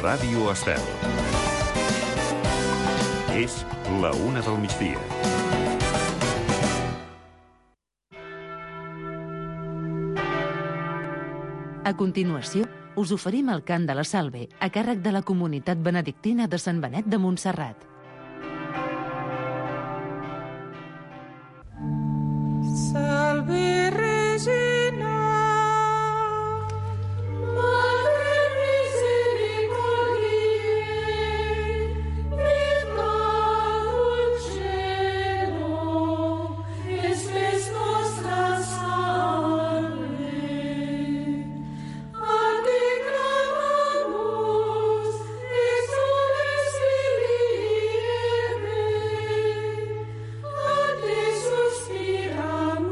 Ràdio Estel. És la 1 del migdia. A continuació, us oferim el cant de la Salve, a càrrec de la comunitat benedictina de Sant Benet de Montserrat. Salve Regina, Madre Misericordiae, Virgo dulcero, espes nostra salve. A te clamamus, exules filiere, a te suspiramus,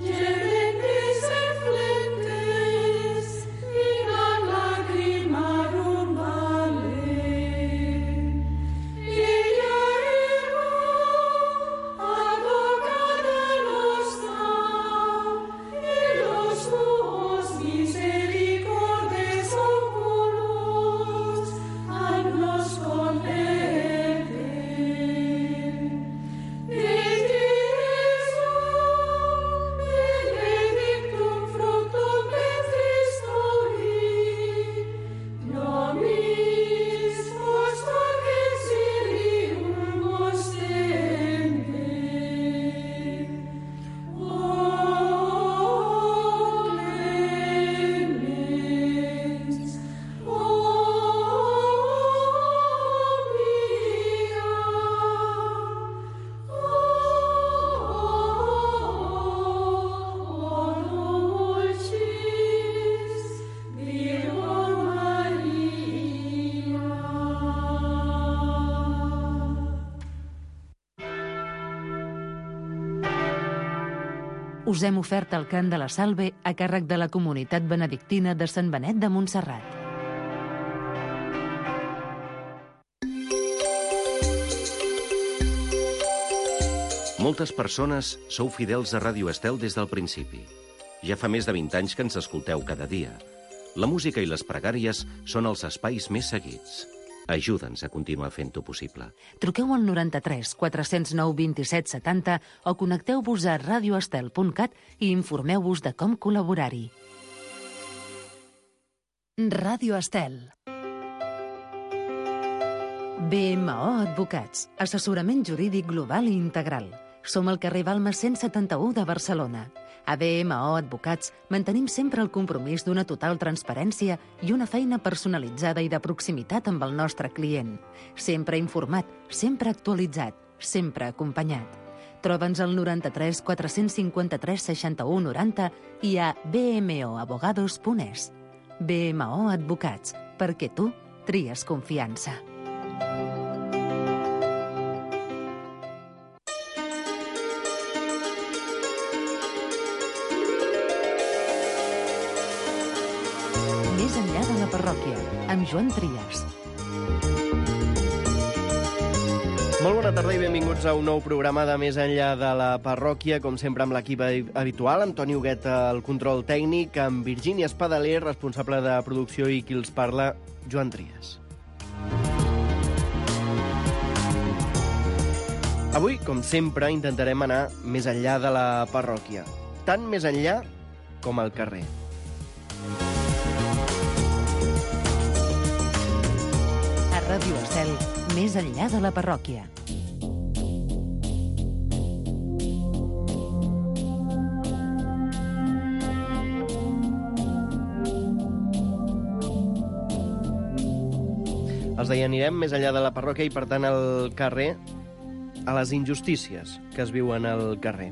gementes et flentes, in lacrimarum vale. Ella ego, advocata nostra, et los tuos misericordes oculos, ad nos converte. Benedictum fructum ventris tui, nobis post exilium ostende. O clemens, o via, o dulcis Virgo Maria. Us hem ofert el cant de la Salve a càrrec de la comunitat benedictina de Sant Benet de Montserrat. Moltes persones sou fidels a Ràdio Estel des del principi. Ja fa més de 20 anys que ens escolteu cada dia. La música i les pregàries són els espais més seguits. Ajuda'ns a continuar fent-ho possible. Truqueu al 93 409 27 70 o connecteu-vos a radioestel.cat i informeu-vos de com col·laborar-hi. Ràdio Estel. BMO Advocats, assessorament jurídic global i integral. Som al carrer Balmes 171 de Barcelona. A BMO Advocats mantenim sempre el compromís d'una total transparència i una feina personalitzada i de proximitat amb el nostre client. Sempre informat, sempre actualitzat, sempre acompanyat. Troba'ns al 93 453 61 90 i a bmoabogados.es. BMO Advocats, perquè tu tries confiança. Més enllà de la parròquia, amb Joan Trias. Molt bona tarda i benvinguts a un nou programa de Més enllà de la parròquia, com sempre amb l'equip habitual, Antoni Huguet al control tècnic, amb Virgínia Espadaler, responsable de producció, i qui els parla, Joan Trias. Avui, com sempre, intentarem anar més enllà de la parròquia, tant més enllà com al carrer. Ràdio Estel, més enllà de la parròquia. Els deia, anirem més enllà de la parròquia i, per tant, al carrer, a les injustícies que es viuen al carrer.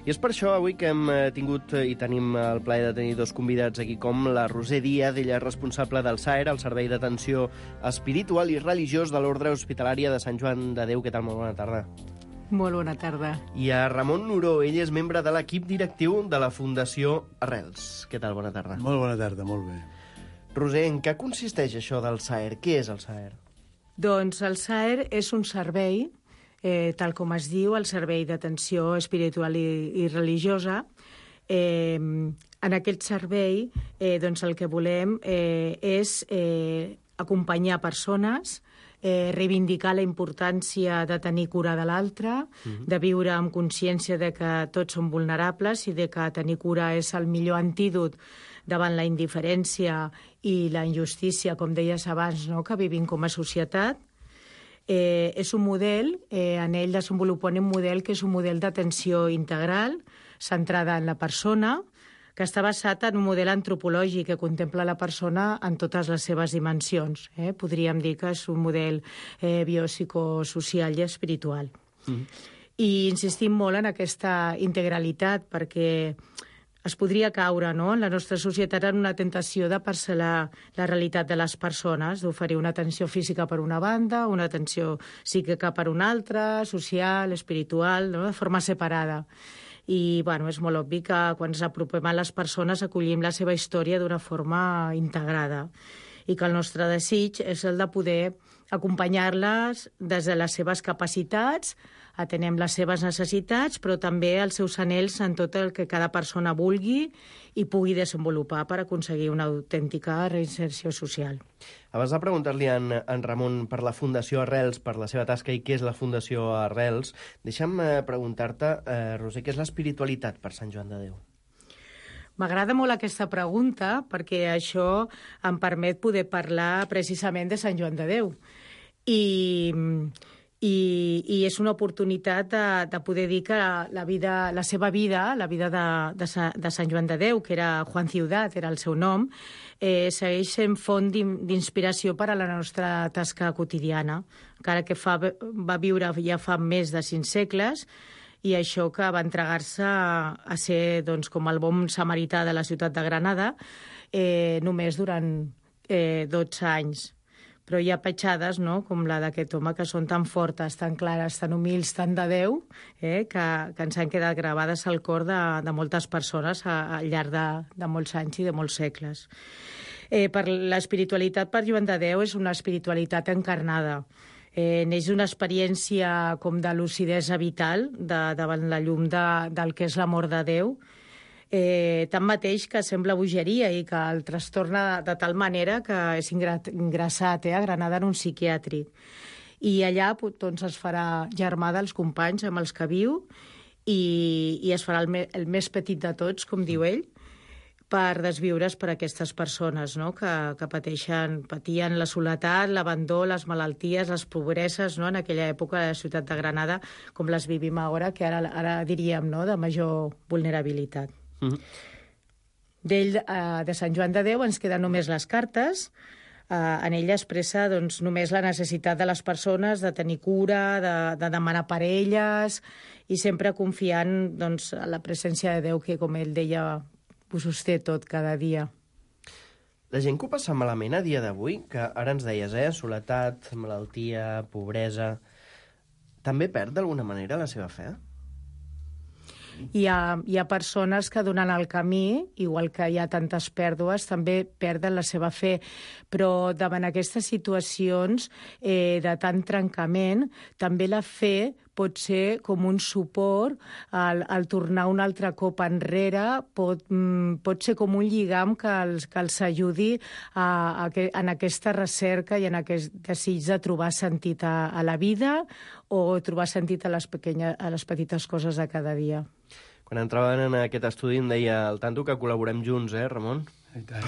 I és per això avui que hem tingut i tenim el plaer de tenir dos convidats aquí, com la Roser Díaz, ella és responsable del SAER, el Servei d'Atenció Espiritual i Religiós de l'Ordre Hospitalària de Sant Joan de Déu. Què tal? Molt bona tarda. Molt bona tarda. I a Ramon Nuró, ell és membre de l'equip directiu de la Fundació Arrels. Què tal? Bona tarda. Molt bona tarda, molt bé. Roser, en què consisteix això del SAER? Què és el SAER? Doncs el SAER és un servei, tal com es diu, el Servei d'Atenció Espiritual i Religiosa, En aquest servei doncs el que volem és acompanyar persones, reivindicar la importància de tenir cura de l'altre, de viure amb consciència de que tots som vulnerables i de que tenir cura és el millor antídot davant la indiferència i la injustícia, com deies abans, no?, que vivim com a societat. És un model, en ell desenvolupem un model que és un model d'atenció integral, centrada en la persona, que està basat en un model antropològic que contempla la persona en totes les seves dimensions. Podríem dir que és un model biopsicosocial i espiritual. I insistim molt en aquesta integralitat perquè es podria caure, no?, en la nostra societat en una tentació de parcel·lar la realitat de les persones, d'oferir una atenció física per una banda, una atenció psíquica per una altra, social, espiritual, no?, de forma separada. I és molt obvi que quan ens apropem a les persones acollim la seva història d'una forma integrada i que el nostre desig és el de poder acompanyar-les des de les seves capacitats, atenem les seves necessitats, però també els seus anhels en tot el que cada persona vulgui i pugui desenvolupar per aconseguir una autèntica reinserció social. Abans de preguntar-li a en Ramon per la Fundació Arrels, per la seva tasca i què és la Fundació Arrels, deixa'm preguntar-te, Roser, què és l'espiritualitat per Sant Joan de Déu? M'agrada molt aquesta pregunta perquè això em permet poder parlar precisament de Sant Joan de Déu. I és una oportunitat de poder dir que la seva vida, la vida de Sant Joan de Déu, que era Juan Ciudat, era el seu nom, segueix sent font d'inspiració per a la nostra tasca quotidiana, encara que va viure ja fa més de 5 segles, i això que va entregar-se a ser com el bon samarità de la ciutat de Granada només durant 12 anys. Però hi ha petjades, no?, com la d'aquest home, que són tan fortes, tan clares, tan humils, tan de Déu, que ens han quedat gravades al cor de moltes persones al llarg de molts anys i de molts segles. Per l'espiritualitat per Joan de Déu és una espiritualitat encarnada. Neix una experiència com de lucidesa vital davant la llum del que és l'amor de Déu, tanmateix que sembla bogeria i que el trastorna de tal manera que és ingressat a Granada en un psiquiàtric. I allà es farà germà dels companys amb els que viu i es farà el més petit de tots, com diu ell, per desviure's per aquestes persones, no?, que patien la soledat, l'abandó, les malalties, les pobreses, no?, en aquella època de la ciutat de Granada, com les vivim ara, que ara diríem, no?, de major vulnerabilitat. D'ell, de Sant Joan de Déu, ens queden només les cartes. En ella expressa només la necessitat de les persones de tenir cura, de demanar per elles, i sempre confiant en la presència de Déu, que, com ell deia, ho sosté tot cada dia. La gent que ho passa malament a dia d'avui, que ara ens deies, soledat, malaltia, pobresa, també perd d'alguna manera la seva fe? Hi ha persones que durant el camí, igual que hi ha tantes pèrdues, també perden la seva fe, però davant aquestes situacions de tant trencament, també la fe pot ser com un suport al tornar un altre cop enrere, pot ser com un lligam que els ajudi en aquesta recerca i en aquest desig de trobar sentit a la vida o trobar sentit a les petites coses de cada dia. Quan entraven en aquest estudi em deia al tanto que col·laborem junts, Ramon? I tant.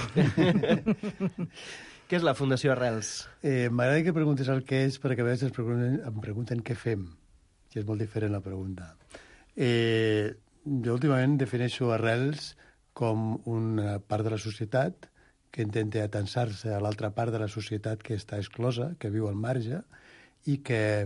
Què és la Fundació Arrels? M'agrada que preguntes el què és, perquè a vegades em pregunten què fem, que és molt diferent la pregunta. Jo últimament defineixo Arrels com una part de la societat que intenta atansar-se a l'altra part de la societat que està exclosa, que viu al marge, i que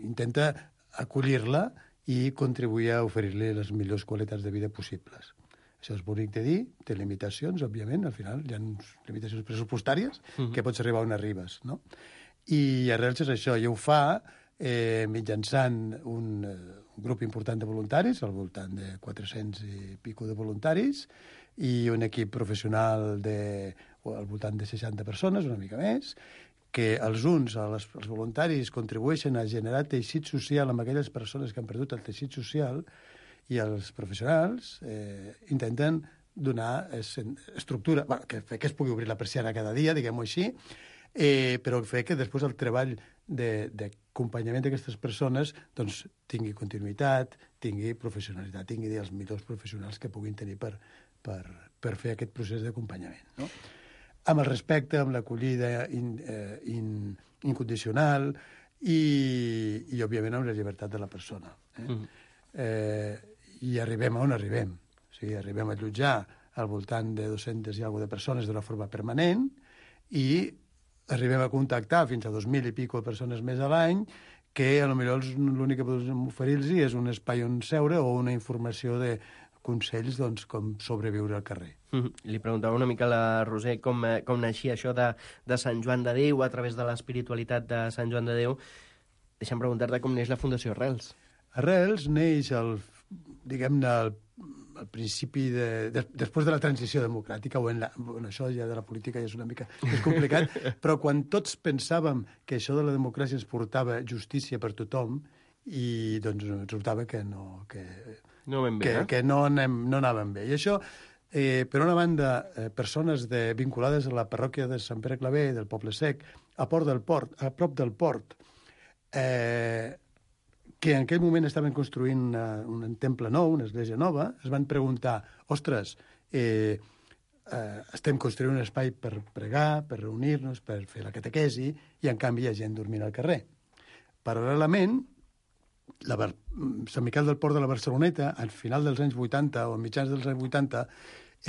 intenta acollir-la i contribuir a oferir-li les millors qualitats de vida possibles. Això és bonic de dir, té limitacions, òbviament, al final hi ha limitacions pressupostàries que pots arribar on arribes, no? I Arrels és això, i ho fa mitjançant un grup important de voluntaris, al voltant de 400 i pico de voluntaris, i un equip professional al voltant de 60 persones, una mica més, que els voluntaris, contribueixen a generar teixit social amb aquelles persones que han perdut el teixit social I els professionals intenten donar estructura, bueno, que es pugui obrir la persiana cada dia, diguem-ho així, però fer que després el treball d'acompanyament d'aquestes persones doncs, tingui continuïtat, tingui professionalitat, tingui els millors professionals que puguin tenir per fer aquest procés d'acompanyament. No? Amb el respecte, amb l'acollida incondicional i, òbviament, amb la llibertat de la persona. I arribem on arribem. O sigui, arribem a allotjar al voltant de 200 i alguna de persones d'una forma permanent i arribem a contactar fins a 2.000 i pico persones més a l'any que potser l'únic que podem oferir-los és un espai on seure o una informació de consells doncs, com sobreviure al carrer. Li preguntava una mica a la Roser com naixia això de Sant Joan de Déu a través de l'espiritualitat de Sant Joan de Déu. Deixa'm preguntar-te com neix la Fundació Arrels. Arrels neix, diguem-ne, al principi després de la transició democràtica, això ja de la política ja és una mica més complicat, però quan tots pensàvem que això de la democràcia ens portava justícia per tothom, i doncs resultava que no anàvem bé. I això, per una banda, persones vinculades a la parròquia de Sant Pere Claver, del Poble Sec, a prop del port, que en aquell moment estaven construint un temple nou, una església nova, es van preguntar, ostres, estem construint un espai per pregar, per reunir-nos, per fer la catequesi, i en canvi hi ha gent dormint al carrer. Paral·lelament, Sant Miquel del Port de la Barceloneta, al final dels anys 80 o a mitjans dels anys 80,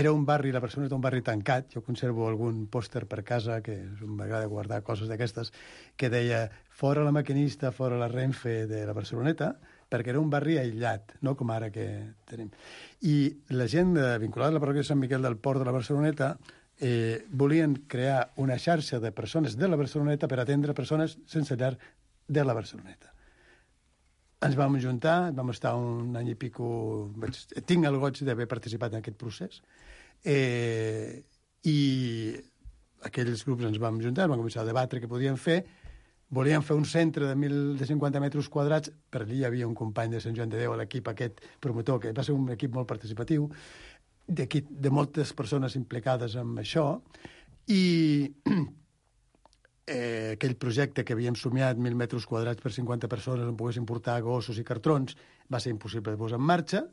era un barri, la Barceloneta, un barri tancat. Jo conservo algun pòster per casa, que m'agrada guardar coses d'aquestes, que deia fora la maquinista, fora la Renfe de la Barceloneta, perquè era un barri aïllat, no com ara que tenim. I la gent vinculada a la parròquia de Sant Miquel del Port de la Barceloneta volien crear una xarxa de persones de la Barceloneta per atendre persones sense llar de la Barceloneta. Ens vam juntar, vam estar un any i pico... Tinc el goig d'haver participat en aquest procés. I aquells grups ens vam juntar, vam començar a debatre què podíem fer. Volíem fer un centre de 1.050 metres quadrats, per allí hi havia un company de Sant Joan de Déu, l'equip aquest promotor, que va ser un equip molt participatiu, de moltes persones implicades en això, i aquell projecte que havíem somiat, 1.000 metres quadrats per 50 persones on poguessin portar gossos i cartrons, va ser impossible de posar en marxa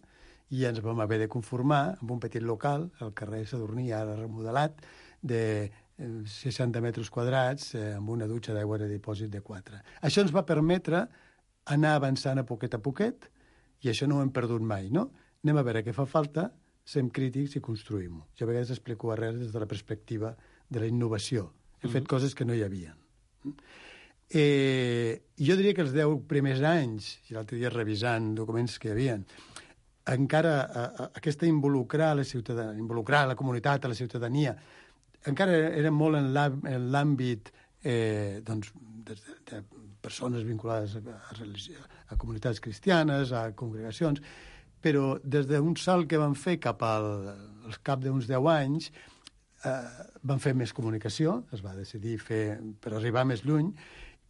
i ens vam haver de conformar amb un petit local, al carrer Sadurní, ara remodelat, de 60 metres quadrats amb una dutxa d'aigua de dipòsit de 4. Això ens va permetre anar avançant a poquet i això no ho hem perdut mai, no? Anem a veure què fa falta, sem crítics i construïm-ho. Jo a vegades explico arrels des de la perspectiva de la innovació. Hem fet coses que no hi havia. Jo diria que els 10 primers anys, i l'altre dia revisant documents que hi havia, encara aquesta involucrar la comunitat, a la ciutadania, encara era molt en l'àmbit de persones vinculades a comunitats cristianes, a congregacions, però des d'un salt que van fer cap al cap d'uns 10 anys, van fer més comunicació, es va decidir fer per arribar més lluny,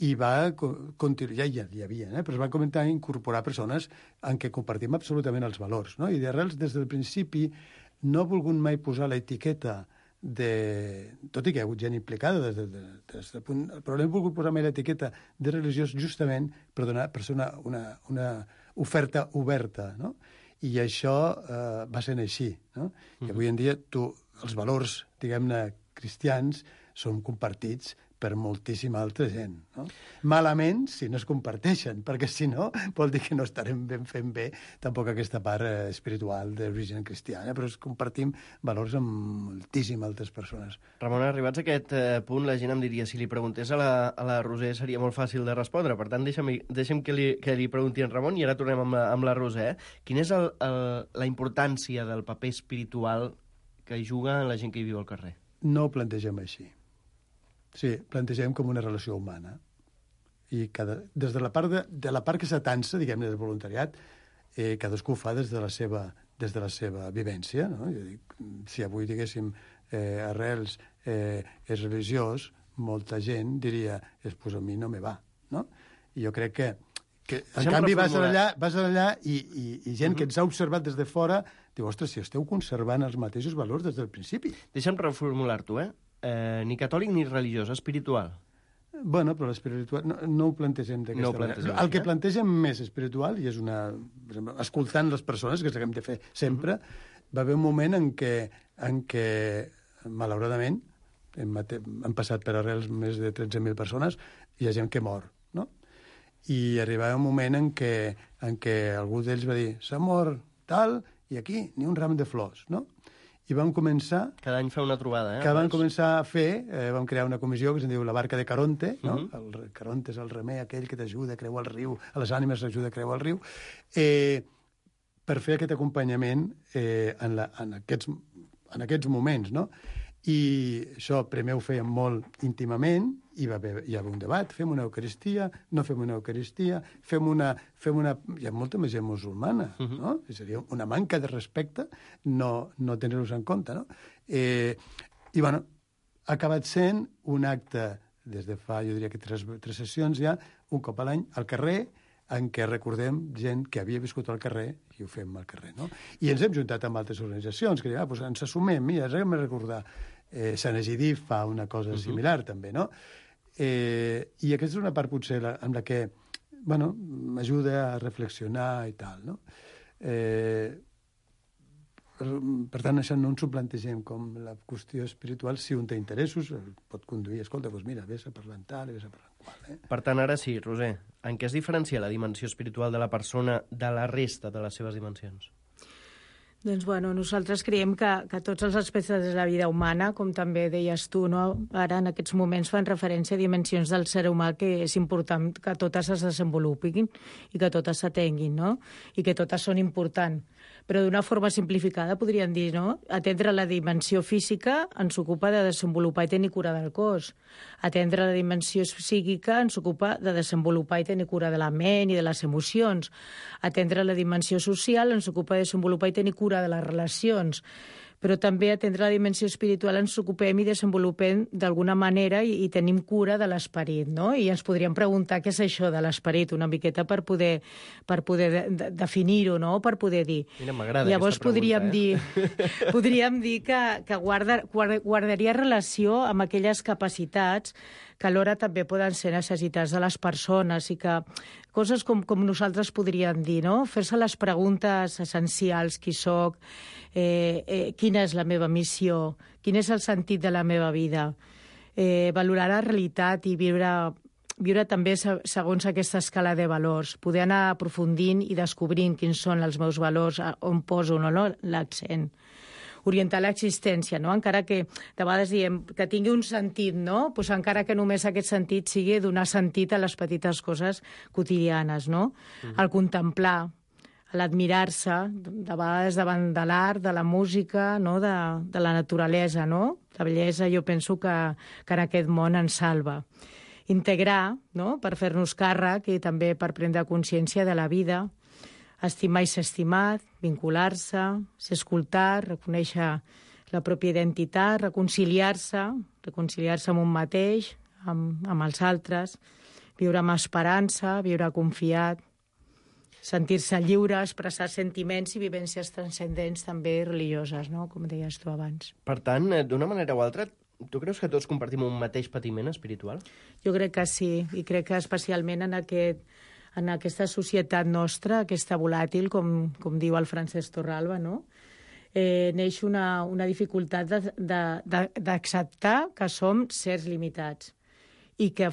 i va continuar, ja hi havia, però es van començar a incorporar persones en què compartim absolutament els valors, no? I d'Arrels, des del principi, no ha volgut mai posar l'etiqueta tot i que hi ha hagut gent implicada des del punt, però no hem volgut posar mai l'etiqueta de religiós justament per donar una oferta oberta, no? I això va sent així, no? I avui en dia els valors, diguem-ne, cristians són compartits per moltíssima altra gent, no? Malament si no es comparteixen, perquè si no vol dir que no estarem fent bé tampoc aquesta part espiritual d'origen cristiana, però compartim valors amb moltíssimes altres persones. Ramon, arribats a aquest punt, la gent em diria, si li preguntés a la Roser seria molt fàcil de respondre, per tant deixem que li pregunti en Ramon i ara tornem amb la Roser. Quina és la importància del paper espiritual que hi juga la gent que hi viu al carrer? No ho plantegem així. Sí, plantegem com una relació humana. I des de la part que s'atansa, diguem-ne, del voluntariat, cadascú ho fa des de la seva vivència, no? Jo dic, si avui diguéssim Arrels és religiós, molta gent diria, pues a mi no me va, no? I jo crec que Que, en canvi, vas allà i gent que ens ha observat des de fora diu, ostres, si esteu conservant els mateixos valors des del principi. Deixa'm reformular-t'ho, ni catòlic ni religiós, espiritual. Bueno, però l'espiritual no ho plantegem d'aquesta manera. El que plantegem més espiritual, i és una... Per exemple, escoltant les persones, que és el que hem de fer sempre, va haver un moment en què malauradament, han passat per arrels més de 13.000 persones, hi ha gent que mor, no? I arribava un moment en què algú d'ells va dir s'ha mort tal, i aquí ni un ram de flors, no? I vam començar... Cada any fa una trobada, Que vam començar a fer, vam crear una comissió que se'n diu la barca de Caronte, no? El Caronte és el remer aquell que t'ajuda a creuar el riu, a les ànimes t'ajuda a creuar el riu, per fer aquest acompanyament en aquests moments, no? I això primer ho fèiem molt íntimament, hi va haver un debat, fem una eucaristia, no fem una eucaristia, fem una... Hi ha molta més gent musulmana, no? Seria una manca de respecte no tenir-los en compte, no? I, bueno, ha acabat sent un acte, des de fa, jo diria que tres sessions ja, un cop a l'any, al carrer, en què recordem gent que havia viscut al carrer i ho fem al carrer, no? I ens hem juntat amb altres organitzacions que diuen, doncs ens assumem, mira, ens hem de recordar. Sant Egidí fa una cosa similar, també, no? I aquesta és una part, potser, amb la que, bueno, m'ajuda a reflexionar i tal, no? Per tant, això no ens ho plantegem com la qüestió espiritual. Si un té interessos, pot conduir, escolta, doncs mira, vés a parlar en tal, vés a parlar en qual. Per tant, ara sí, Roser, en què es diferencia la dimensió espiritual de la persona de la resta de les seves dimensions? Doncs, bueno, nosaltres creiem que tots els aspectes de la vida humana, com també deies tu, no? Ara en aquests moments fan referència a dimensions del ser humà que és important que totes es desenvolupin i que totes s'atenguin, no? I que totes són importants. Però d'una forma simplificada podríem dir, no? Atendre la dimensió física ens ocupa de desenvolupar i tenir cura del cos. Atendre la dimensió psíquica ens ocupa de desenvolupar i tenir cura de la ment i de les emocions. Atendre la dimensió social ens ocupa de desenvolupar i tenir cura de les relacions. Però també atendre la dimensió espiritual ens ocupem i desenvolupem d'alguna manera i tenim cura de l'esperit, no? I ens podríem preguntar què és això de l'esperit una miqueta per poder definir-ho, no? Per poder dir. Mira, m'agrada Llavors aquesta pregunta, podríem dir que guardaria relació amb aquelles capacitats que alhora també poden ser necessitats de les persones i que coses com nosaltres podríem dir, no? Fer-se les preguntes essencials, qui soc, quina és la meva missió, quin és el sentit de la meva vida, valorar la realitat i viure també segons aquesta escala de valors, poder anar aprofundint i descobrint quins són els meus valors, on poso l'accent. Orientar l'existència, no? Encara que de vegades diem que tingui un sentit, no? Pues encara que només aquest sentit sigui donar sentit a les petites coses quotidianes, no? El contemplar, l'admirar-se, de vegades davant de l'art, de la música, no? De la naturalesa, no? La bellesa jo penso que en aquest món ens salva. Integrar, no? Per fer-nos càrrec i també per prendre consciència de la vida, estimar i ser estimat, vincular-se, ser escoltat, reconèixer la pròpia identitat, reconciliar-se amb un mateix, amb els altres, viure amb esperança, viure confiat, sentir-se lliure, expressar sentiments i vivències transcendents també religioses, no? Com deies tu abans. Per tant, d'una manera o altra, tu creus que tots compartim un mateix patiment espiritual? Jo crec que sí, i crec que especialment en aquesta societat nostra, aquesta volàtil, com diu el Francesc Torralba, no? Neix una dificultat d'acceptar que som sers limitats i que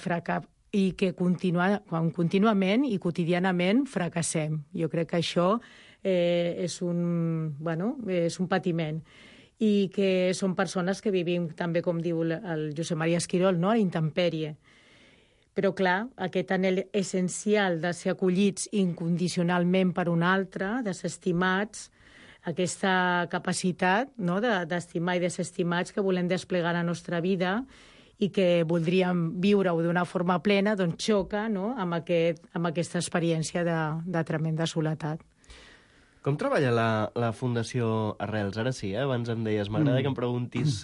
contínuament i quotidianament fracassem. Jo crec que això és un patiment i que són persones que vivim també, com diu el Josep Maria Esquirol, no? A la intempèrie. Però, clar, aquest anhel essencial de ser acollits incondicionalment per un altre, de ser estimats, aquesta capacitat, no?, d'estimar i de ser estimats que volem desplegar a la nostra vida i que voldríem viure-ho d'una forma plena, doncs xoca, no?, amb aquesta experiència de tremenda soledat. Com treballa la Fundació Arrels? Ara sí, abans em deies, m'agrada que em preguntis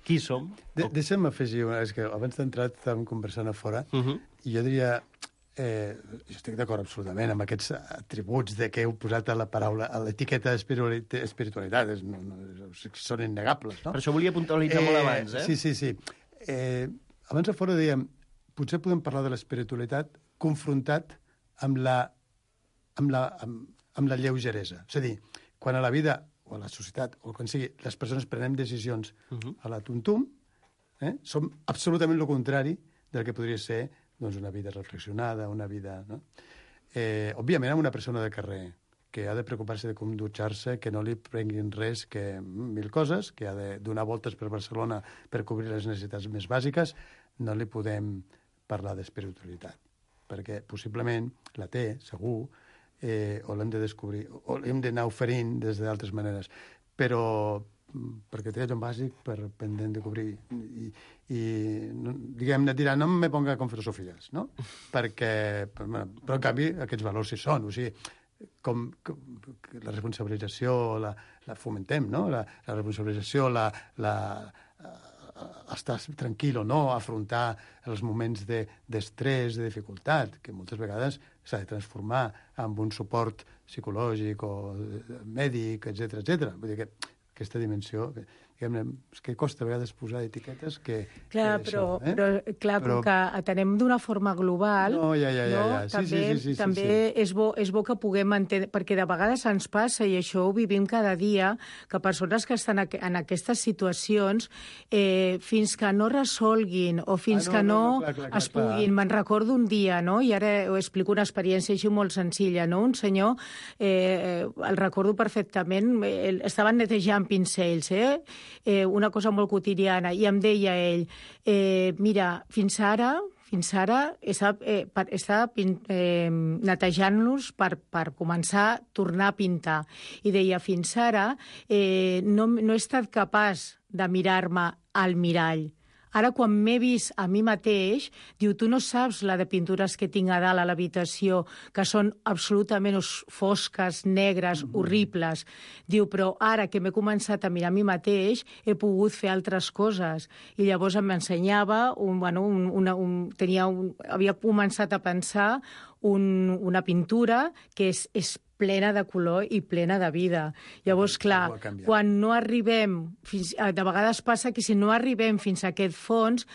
qui som. Deixa'm afegir, és que abans d'entrar estàvem conversant a fora, i jo diria, jo estic d'acord absolutament amb aquests atributs de que heu posat a la paraula, a l'etiqueta espiritualitat, són innegables, no? Per això volia puntualitzar molt abans, eh? Sí. Abans a fora dèiem, potser podem parlar de l'espiritualitat confrontat amb la lleugeresa. És a dir, quan a la vida, o a la societat, o quan sigui, les persones prenem decisions a la tuntum, som absolutament el contrari del que podria ser doncs, una vida reflexionada, una vida... No? Òbviament, amb una persona de carrer que ha de preocupar-se de com dutxar-se, que no li prenguin res, que mil coses, que ha de donar voltes per Barcelona per cobrir les necessitats més bàsiques, no li podem parlar d'espiritualitat, perquè possiblement la té, segur, o l'hem de descobrir, o l'hem d'anar oferint des d'altres maneres. Però perquè té allò bàsic pendent de cobrir i diguem-ne, dirà, no me ponga con filosofies, no? Perquè, però en canvi aquests valors sí són, o sigui, com la responsabilització la fomentem, no? La responsabilització, estar tranquil o no, afrontar els moments d'estrès, de dificultat, que moltes vegades s'ha de transformar en un suport psicològic o mèdic, etc. Vull dir que aquesta dimensió, diguem-ne, és que costa a vegades posar etiquetes que... Clar, però com que atenem d'una forma global, també és bo que puguem entendre, perquè de vegades ens passa, i això ho vivim cada dia, que persones que estan en aquestes situacions, fins que no resolguin o fins que no es puguin... Me'n recordo un dia, no? I ara ho explico una experiència així molt senzilla, no? Un senyor, el recordo perfectament, estaven netejant pincells, una cosa molt quotidiana, i em deia ell, mira, fins ara estava netejant-los per començar a tornar a pintar. I deia, fins ara no he estat capaç de mirar-me al mirall. Ara, quan m'he vist a mi mateix, diu, tu no saps la de pintures que tinc a dalt a l'habitació, que són absolutament fosques, negres, horribles. Diu, però ara que m'he començat a mirar a mi mateix, he pogut fer altres coses. I llavors em ensenyava, havia començat a pensar una pintura que és plena de color i plena de vida. Llavors, clar, quan no arribem, de vegades passa que si no arribem fins a aquest fons,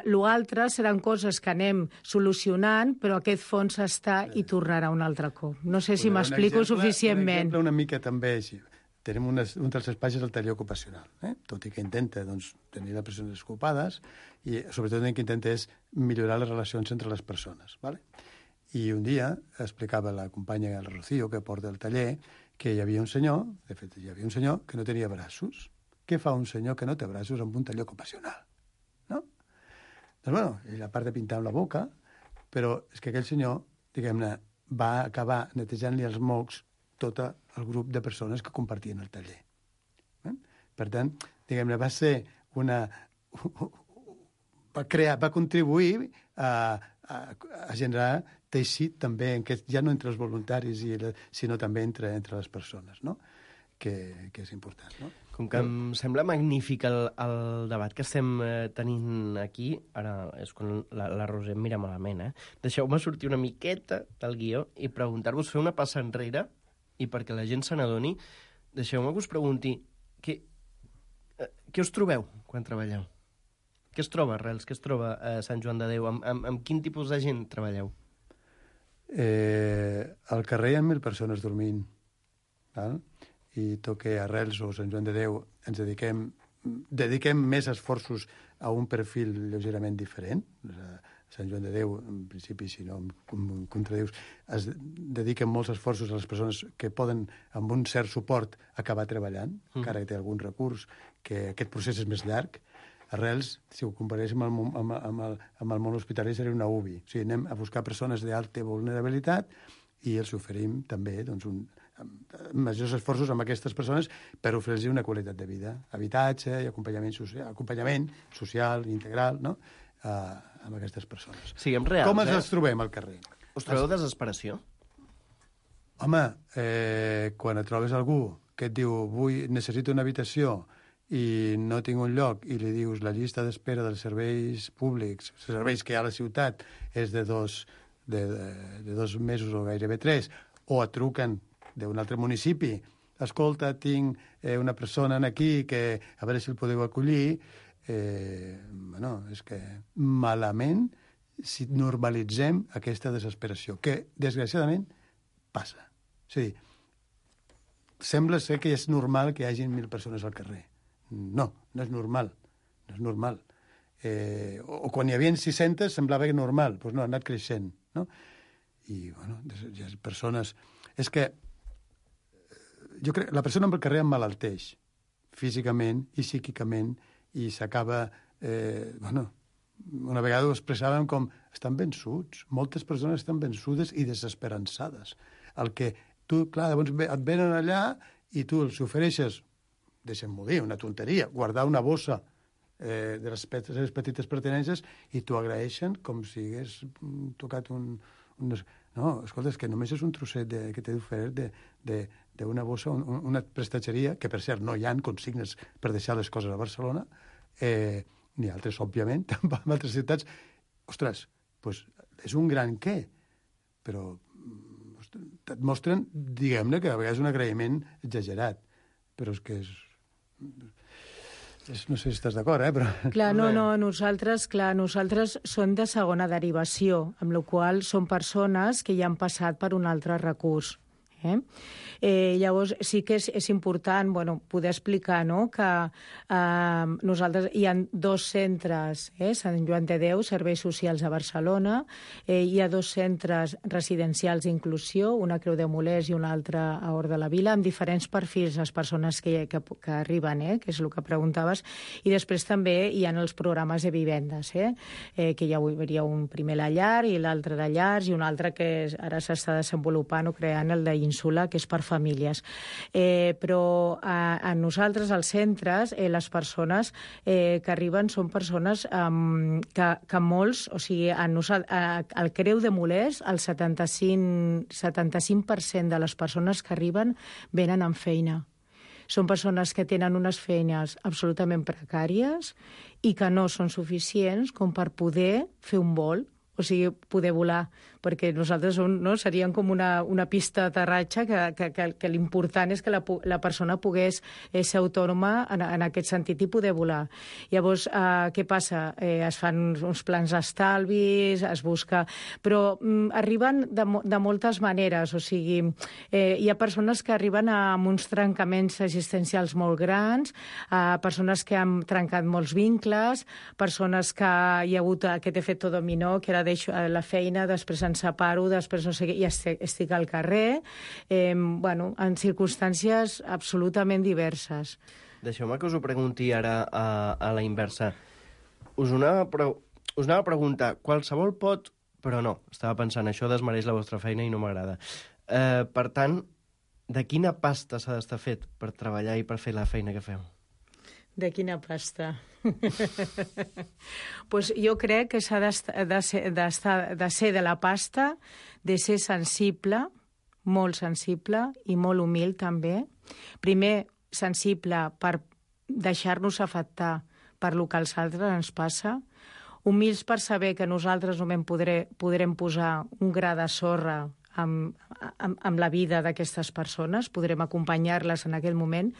l'altre seran coses que anem solucionant, però aquest fons està i tornarà un altre cop. No sé si m'explico suficientment. Un exemple una mica també així. Tenim un dels espais és el taller ocupacional, tot i que intenta tenir les persones ocupades i sobretot el que intenta és millorar les relacions entre les persones, ¿vale? I un dia explicava la companya el Rocío, que porta el taller, que hi havia un senyor, de fet, que no tenia braços. Què fa un senyor que no té braços amb un taller ocupacional? No? Doncs, bueno, ell a part de pintar amb la boca, però és que aquell senyor, diguem-ne, va acabar netejant-li els mocs tot el grup de persones que compartien el taller. Per tant, diguem-ne, va contribuir a generar teixit també, ja no entre els voluntaris, sinó també entre les persones, no? Que és important, no? Com que em sembla magnífic el debat que estem tenint aquí, ara és quan la Roser em mira malament, Deixeu-me sortir una miqueta del guió i preguntar-vos, fer una passa enrere, i perquè la gent se n'adoni, deixeu-me que us pregunti què us trobeu quan treballeu? Què es troba, Arrels? Què es troba a Sant Joan de Déu? Amb quin tipus de gent treballeu? Al carrer hi ha 1.000 persones dormint, val? I tot que Arrels o Sant Joan de Déu ens dediquem més esforços a un perfil lleugerament diferent. Sant Joan de Déu, en principi, si no em contradius, es dediquen molts esforços a les persones que poden, amb un cert suport, acabar treballant, encara que té algun recurs, que aquest procés és més llarg. Arrels, si ho comparéssim amb el món hospitalari, seria una UBI. O sigui, anem a buscar persones d'alta vulnerabilitat i els oferim també majors esforços amb aquestes persones per oferir-los una qualitat de vida, habitatge i acompanyament social, integral, no? Amb aquestes persones. Siguem reals, com ens trobem al carrer? Us trobeu desesperació? Home, quan et trobes algú que et diu necessito una habitació i no tinc un lloc, i li dius la llista d'espera dels serveis públics, els serveis que hi ha a la ciutat, és de 2 de 2 mesos o gairebé 3, o et truquen d'un altre municipi, escolta, tinc una persona aquí que a veure si el podeu acollir, bueno, és que malament si normalitzem aquesta desesperació, que desgraciadament passa. És a dir, sembla ser que és normal que hi hagi 1.000 persones al carrer. No, no és normal. No és normal. O quan hi havia 600 semblava que normal. Doncs no, ha anat creixent. No? I, bueno, hi ha persones... És que jo crec la persona amb el carrer emmalalteix físicament i psíquicament i s'acaba... bueno, una vegada ho expressàvem com estan vençuts. Moltes persones estan vençudes i desesperançades. El que tu, clar, llavors et venen allà i tu els ofereixes, deixem-m'ho dir, una tonteria, guardar una bossa de les petites pertinences i t'ho agraeixen com si hagués tocat un... No, escolta, és que només és un trosset que t'he d'oferir d'una bossa, una prestatgeria, que per cert no hi ha consignes per deixar les coses a Barcelona, ni altres, òbviament, en altres ciutats. Ostres, doncs és un gran què, però et mostren, diguem-ne, que a vegades un agraïment exagerat, però és que és... No sé si estàs d'acord, però... Clar, no, nosaltres som de segona derivació, amb la qual són persones que ja han passat per un altre recurs. Llavors sí que és important poder explicar que nosaltres hi ha 2 centres, Sant Joan de Déu, Serveis Socials a Barcelona, hi ha 2 centres residencials d'inclusió, una a Creu de Molers i una altra a Hort de la Vila, amb diferents perfils les persones que arriben, que és el que preguntaves, i després també hi ha els programes de vivendes, que hi hauria un primer la llar i l'altre de llars i un altre que ara s'està desenvolupant o creant, el d'Ínsula, que és per famílies. Però a nosaltres, als centres, les persones que arriben són persones que molts, o sigui, al Creu de Molers, el 75% de les persones que arriben venen amb feina. Són persones que tenen unes feines absolutament precàries i que no són suficients com per poder fer un vol, o sigui, poder volar, perquè nosaltres seríem com una pista d'aterratge que l'important és que la persona pogués ser autònoma en aquest sentit i poder volar. Llavors, què passa? Es fan uns plans d'estalvis, es busca... Però arriben de moltes maneres, o sigui, hi ha persones que arriben amb uns trencaments existencials molt grans, persones que han trencat molts vincles, persones que hi ha hagut aquest efecte dominó, que era deixo la feina, després em separo, després no sé què, i estic al carrer, en circumstàncies absolutament diverses. Deixeu-me que us ho pregunti ara a la inversa. Us anava a preguntar, qualsevol pot, però no, estava pensant, això desmereix la vostra feina i no m'agrada. Per tant, de quina pasta s'ha d'estar fet per treballar i per fer la feina que feu? De quina pasta? Pues jo crec que s'ha de ser de la pasta, de ser sensible, molt sensible i molt humil també. Primer, sensible per deixar-nos afectar per lo que als altres ens passa, humils per saber que nosaltres només podrem posar un gra de sorra amb la vida d'aquestes persones, podrem acompanyar-les en aquell moment,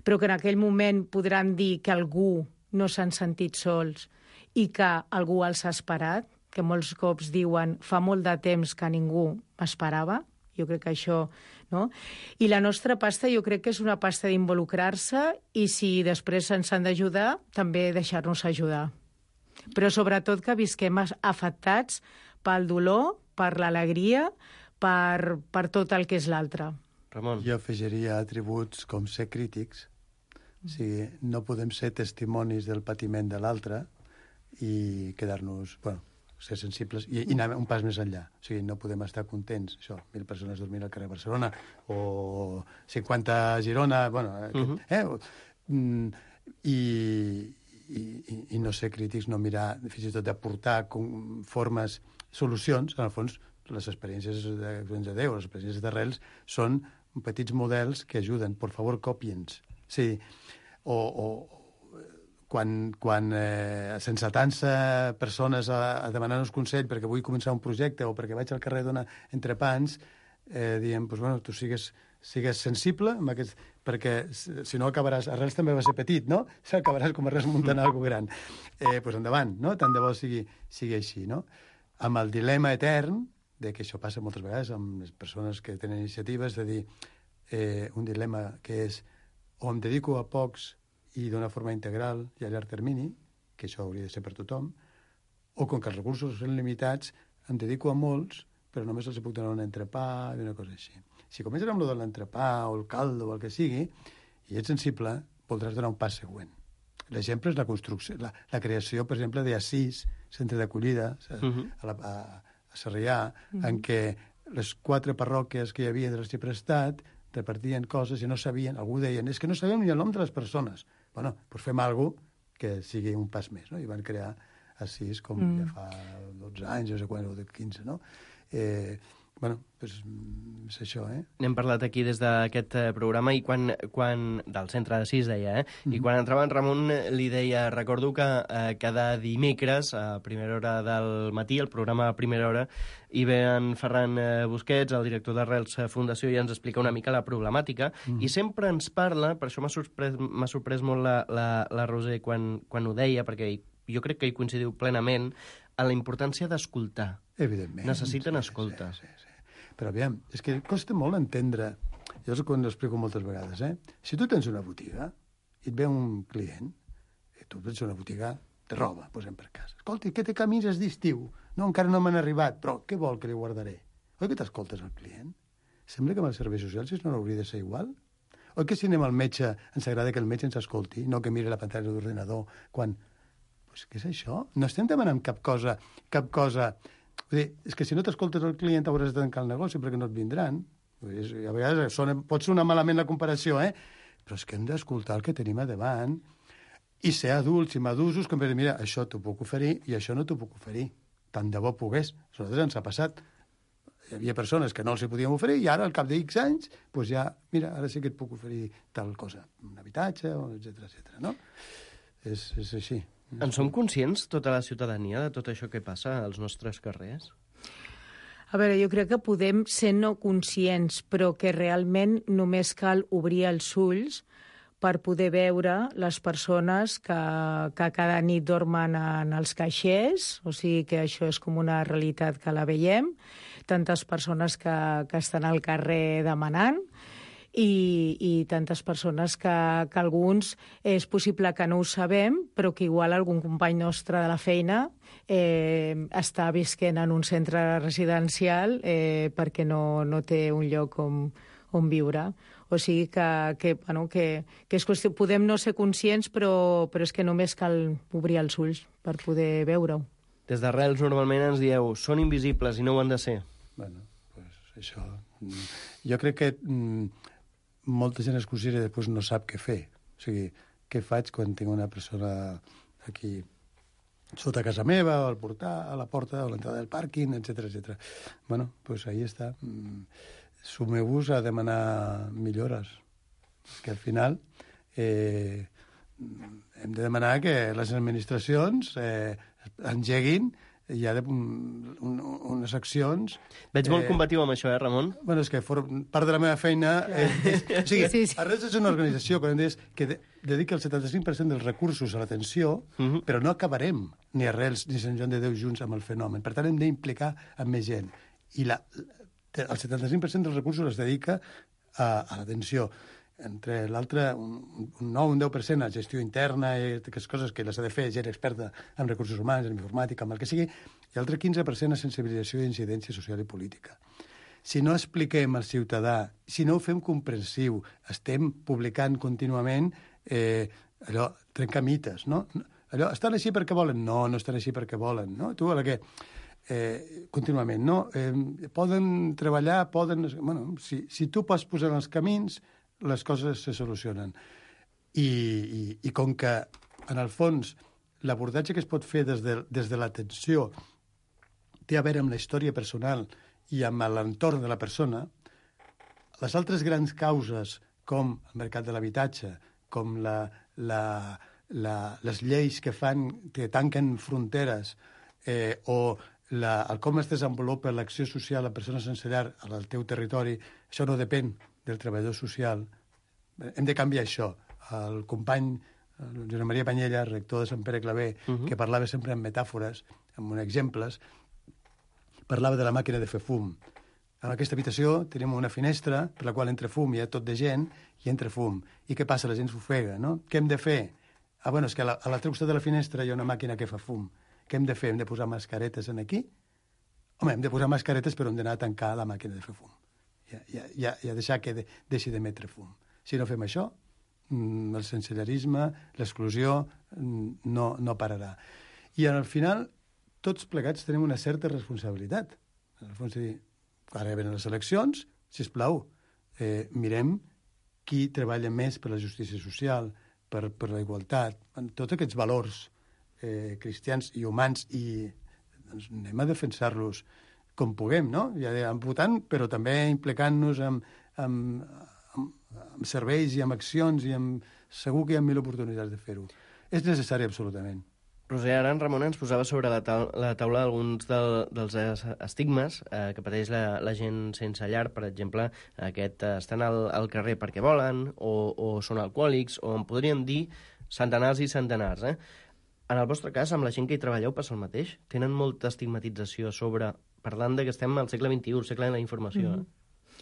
però que en aquell moment podran dir que algú no s'han sentit sols i que algú els ha esperat, que molts cops diuen fa molt de temps que ningú m'esperava. Jo crec que això... No? I la nostra pasta jo crec que és una pasta d'involucrar-se i si després ens han d'ajudar, també deixar-nos ajudar. Però sobretot que visquem afectats pel dolor, per l'alegria, per tot el que és l'altre. Ramon. Jo afegiria atributs com ser crítics. O sigui, no podem ser testimonis del patiment de l'altre i quedar-nos... ser sensibles i anar un pas més enllà. O sigui, no podem estar contents, això, 1.000 persones dormint al carrer de Barcelona o 50 a Girona, i no ser crítics, no mirar, fins i tot d'aportar formes, solucions, en el fons, les experiències de Déu, les experiències d'arrels, són petits models que ajuden. Por favor, còpiens. Sí. O quan sense atança persones a demanar-nos consell perquè vull començar un projecte o perquè vaig al carrer a donar entrepans, diem, doncs, bueno, tu sigues sensible amb aquest, perquè si no acabaràs... Arrels també va ser petit, no? Acabaràs com Arrels muntant alguna gran. Doncs endavant, no? Tant de bo sigui així, no? Amb el dilema etern, de que això passa moltes vegades amb les persones que tenen iniciatives, de dir un dilema que és o em dedico a pocs i d'una forma integral i a llarg termini, que això hauria de ser per tothom, o com que els recursos són limitats, em dedico a molts, però només els puc donar un entrepà i una cosa així. Si comences amb el de l'entrepà o el caldo o el que sigui, i ets sensible, voldràs donar un pas següent. L'exemple és la construcció, la creació, per exemple, d'Assís, centre d'acollida, a Sarrià, en què les 4 parròquies que hi havia de l'Arxiprestat repartien coses i no sabien, algú deien, és que no sabem ni el nom de les persones. Bueno, doncs fem alguna cosa que sigui un pas més, no? I van crear Assís com ja fa 12 anys, no sé quan, o 15, no? Bueno, doncs és això, N'hem parlat aquí des d'aquest programa i quan del centre d'Assís, deia, I quan entrava en Ramon li deia, recordo que cada dimecres a primera hora del matí, el programa a primera hora, hi ve en Ferran Busquets, el director d'Arrels Fundació, i ens explica una mica la problemàtica, i sempre ens parla, per això m'ha sorprès molt la Roser quan ho deia, perquè jo crec que hi coincidiu plenament, a la importància d'escoltar. Evidentment. Necessiten escoltar. Sí. Però aviam, és que costa molt entendre, jo és quan ho explico moltes vegades, si tu tens una botiga i et ve un client, i tu tens una botiga de roba, posem per cas. Escolta, què té camises d'estiu? No, encara no m'han arribat, però què vol que li guardaré? Oi que t'escoltes al client? Sembla que amb els serveis socials no hauria de ser igual? Oi que si anem al metge ens agrada que el metge ens escolti, no que miri la pantalla d'ordenador quan... Pues, què és això? No estem demanant cap cosa... Vull dir, és que si no t'escoltes el client hauràs de tancar el negoci perquè no et vindran. A vegades pot sonar malament la comparació, però és que hem d'escoltar el que tenim a davant i ser adults i madusos que em dir, mira, això t'ho puc oferir i això no t'ho puc oferir. Tant de bo pogués. A nosaltres ens ha passat. Hi havia persones que no els hi podíem oferir i ara, al cap de X anys, doncs ja, mira, ara sí que et puc oferir tal cosa. Un habitatge, etcètera, no? És així. En som conscients, tota la ciutadania, de tot això que passa als nostres carrers? A veure, jo crec que podem ser no conscients, però que realment només cal obrir els ulls per poder veure les persones que cada nit dormen en els caixers, o sigui que això és com una realitat que la veiem, tantes persones que estan al carrer demanant, i tantes persones que alguns és possible que no ho sabem, però que igual algun company nostre de la feina està visquent en un centre residencial perquè no té un lloc on viure. O sigui que és qüestió, podem no ser conscients, però és que només cal obrir els ulls per poder veure-ho. Des d'Arrels normalment ens dieu, són invisibles i no ho han de ser. Bueno, pues això... Jo crec que molta gent es considera i després no sap què fer. O sigui, què faig quan tinc una persona aquí sota casa meva, o al portal, a la porta, o a l'entrada del pàrquing, etcètera. Bueno, doncs ahí està. Sumeu-vos a demanar millores. Que al final hem de demanar que les administracions engeguin hi ha unes accions... Veig molt combatiu amb això, Ramon? Bueno, és que part de la meva feina... O sigui, Arrels és una organització que dedica el 75% dels recursos a l'atenció, però no acabarem ni Arrels ni Sant Joan de Déu junts amb el fenomen. Per tant, hem d'implicar amb més gent. I el 75% dels recursos es dedica a l'atenció. Entre l'altre, un 9, un 10% a gestió interna i aquestes coses que les ha de fer gent experta en recursos humans, en informàtica, en el que sigui, i l'altre 15% a sensibilització i incidència social i política. Si no expliquem al ciutadà, si no ho fem comprensiu, estem publicant contínuament allò, trencar mites, no? Allò, estan així perquè volen? No, no estan així perquè volen, no? Tu, a la que... contínuament, no? Poden treballar, poden... Bueno, si tu pots posar en els camins, les coses se solucionen. I com que, en el fons, l'abordatge que es pot fer des de l'atenció té a veure amb la història personal i amb l'entorn de la persona, les altres grans causes, com el mercat de l'habitatge, com les lleis que tanquen fronteres o el com es desenvolupa l'acció social a persones sense llar al teu territori, això no depèn del treballador social. Hem de canviar això. El company Josep Maria Panyella, rector de Sant Pere Claver, que parlava sempre en metàfores, amb exemples, parlava de la màquina de fer fum. En aquesta habitació tenim una finestra per la qual entra fum, hi ha tot de gent i entra fum. I què passa? La gent s'ofega, no? Què hem de fer? Bueno, és que a l'altre costat de la finestra hi ha una màquina que fa fum. Què hem de fer? Hem de posar mascaretes aquí? Home, hem de posar mascaretes però hem d'anar a tancar la màquina de fer fum. I a deixar que deixi d'emetre fum. Si no fem això, el sensellarisme, l'exclusió, no pararà. I al final, tots plegats tenim una certa responsabilitat. En el fons, ara venen les eleccions, sisplau, mirem qui treballa més per la justícia social, per la igualtat, tots aquests valors cristians i humans, i doncs, anem a defensar-los com puguem, no? Ja votant, però també implicant-nos amb serveis i amb accions, i segur que hi ha 1000 oportunitats de fer-ho. És necessari, absolutament. Roser, ara en Ramon ens posava sobre la taula alguns dels estigmes que pateix la gent sense llar, per exemple, estan al carrer perquè volen, o són alcohòlics, o en podríem dir centenars i centenars. En el vostre cas, amb la gent que hi treballeu, passa el mateix? Tenen molta estigmatització parlant que estem al segle XXI, el segle de la informació.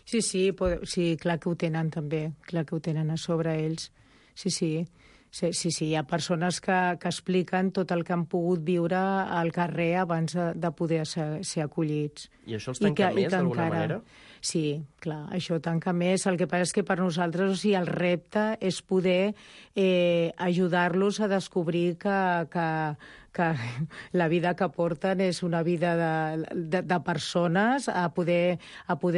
Sí, clar que ho tenen també, clar que ho tenen a sobre ells. Sí, hi ha persones que expliquen tot el que han pogut viure al carrer abans de poder ser acollits. I això els tanca més, d'alguna manera? Sí, clar, això tanca més. El que passa és que per nosaltres, el repte és poder ajudar-los a descobrir que la vida que porten és una vida de persones, a poder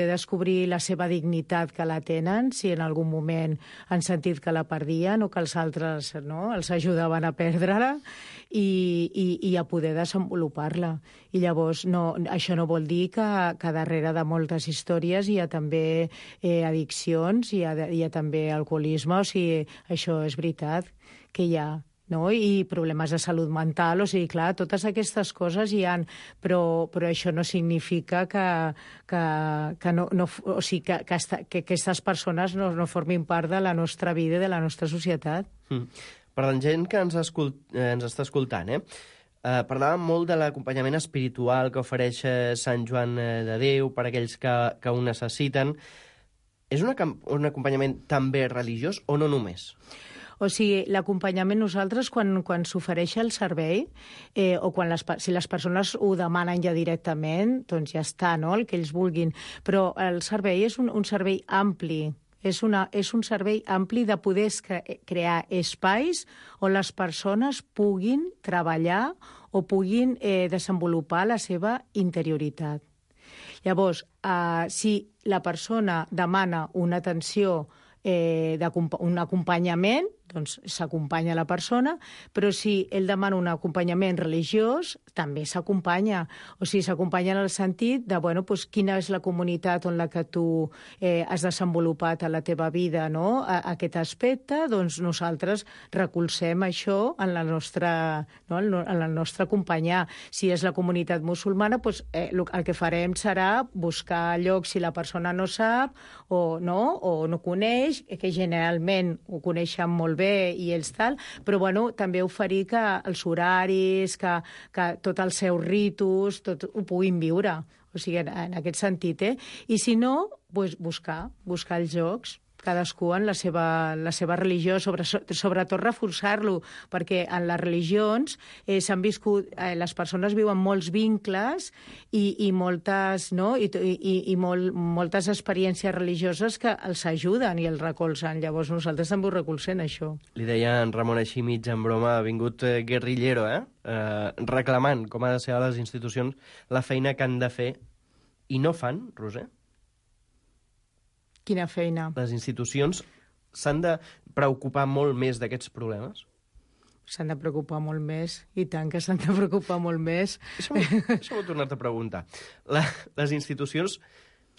descobrir la seva dignitat que la tenen, si en algun moment han sentit que la perdien o que els altres els ajudaven a perdre-la, i a poder desenvolupar-la. I llavors això no vol dir que darrere de moltes històries hi ha també addiccions, hi ha també alcoholisme, o sigui, això és veritat que hi ha, no? I problemes de salut mental, o sigui, clar, totes aquestes coses hi ha, però això no significa que aquestes persones no formin part de la nostra vida i de la nostra societat. Per la gent que ens està escoltant, parlàvem molt de l'acompanyament espiritual que ofereix Sant Joan de Déu per a aquells que ho necessiten. És un acompanyament també religiós o no només? O sigui, l'acompanyament nosaltres, quan s'ofereix el servei, o si les persones ho demanen ja directament, doncs ja està, no?, el que ells vulguin. Però el servei és un servei ampli. És un servei ampli de poder crear espais on les persones puguin treballar o puguin desenvolupar la seva interioritat. Llavors, si la persona demana una atenció, un acompanyament, doncs s'acompanya la persona, però si ell demana un acompanyament religiós, també s'acompanya. O sigui, s'acompanya en el sentit de, doncs, quina és la comunitat en la que tu has desenvolupat a la teva vida, no?, aquest aspecte, doncs nosaltres recolzem això en la nostra acompanyar. Si és la comunitat musulmana, doncs el que farem serà buscar llocs si la persona no sap o no coneix, que generalment ho coneixen molt bé i ells tal, però també oferir que els horaris, que tots els seus ritus, tot ho puguin viure. O sigui, en aquest sentit, I si no, doncs buscar els llocs, cadascú en la seva religió, sobretot reforçar-lo, perquè en les religions s'han viscut, les persones viuen molts vincles i moltes, no?, i moltes experiències religioses que els ajuden i els recolzen. Llavors nosaltres també ho recolzem, això. Li deia en Ramon així mig en broma, ha vingut guerrillero, reclamant com ha de ser a les institucions la feina que han de fer i no fan, Roser? Quina feina? Les institucions s'han de preocupar molt més d'aquests problemes? S'han de preocupar molt més, i tant que s'han de preocupar molt més. Això m'ho he tornat a preguntar. Les institucions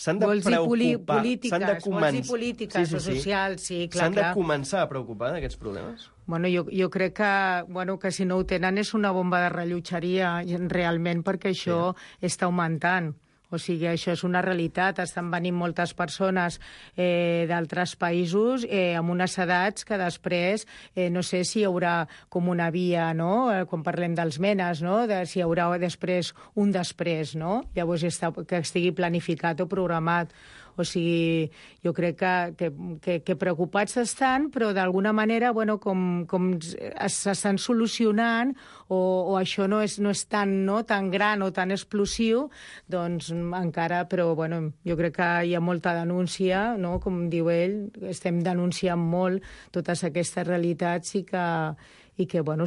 s'han de Vols dir preocupar... polítiques, vols dir polítiques o socials, sí, clar, S'han de clar. començar a preocupar d'aquests problemes? Bueno, jo crec que si no ho tenen és una bomba de rellotgeria realment, perquè això està augmentant. O sigui, això és una realitat. Estan venint moltes persones d'altres països amb unes edats que després no sé si hi haurà com una via, no?, quan parlem dels menes, no?, si hi haurà després un després, no? Llavors que estigui planificat o programat. O sigui, jo crec que preocupats estan, però d'alguna manera, bueno, com s'estan solucionant o això no és tan gran o tan explosiu, doncs encara, però bueno, jo crec que hi ha molta denúncia, no? Com diu ell, estem denunciant molt totes aquestes realitats i que bueno,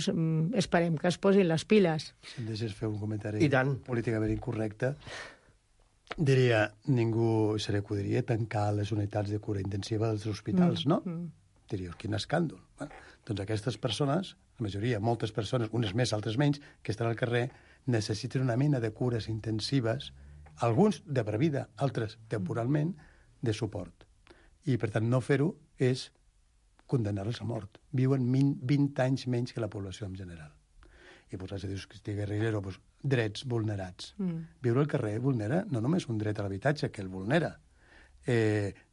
esperem que es posin les piles. Si em deixes fer un comentari I tant. políticament incorrecte, diria, ningú se li acudiria tancar les unitats de cura intensiva dels hospitals, no? Diria, quin escàndol. Bueno, doncs aquestes persones, la majoria, moltes persones, unes més, altres menys, que estan al carrer, necessiten una mena de cures intensives, alguns de per vida, altres temporalment, de suport. I, per tant, no fer-ho és condemnar-los a mort. Viuen 20 anys menys que la població en general. I posats a dir que guerrillero, doncs, drets vulnerats. Viure al carrer vulnera no només un dret a l'habitatge, que el vulnera,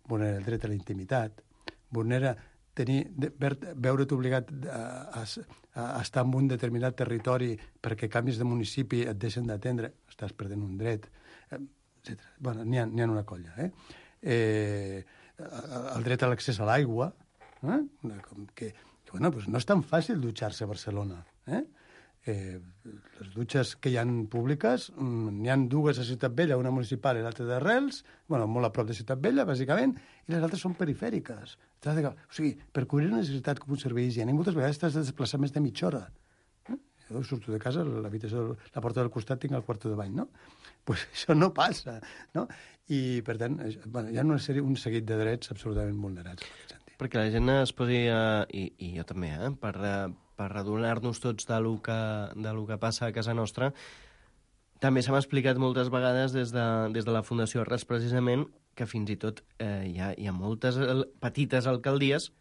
vulnera el dret a la intimitat, vulnera veure't obligat a estar en un determinat territori perquè canvis de municipi et deixen d'atendre, estàs perdent un dret, etc. Bueno, n'hi ha una colla. El dret a l'accés a l'aigua, que bueno, pues no és tan fàcil dutxar-se a Barcelona. Les dutxes que hi ha públiques, n'hi ha dues a Ciutat Vella, una municipal i l'altra d'Arrels, bueno, molt a prop de Ciutat Vella, bàsicament, i les altres són perifèriques. O sigui, per cobrir una necessitat com un servei higiènic, moltes vegades t'has de desplaçar més de mitja hora. Jo surto de casa, la porta del costat tinc el quarto de bany, no? Pues això no passa, no? I, per tant, hi ha un seguit de drets absolutament vulnerats. Perquè la gent es posi, i jo també, per adonar-nos tots del que passa a casa nostra, també s'ha explicat moltes vegades des de la Fundació Arrels, precisament, que fins i tot hi ha moltes petites alcaldies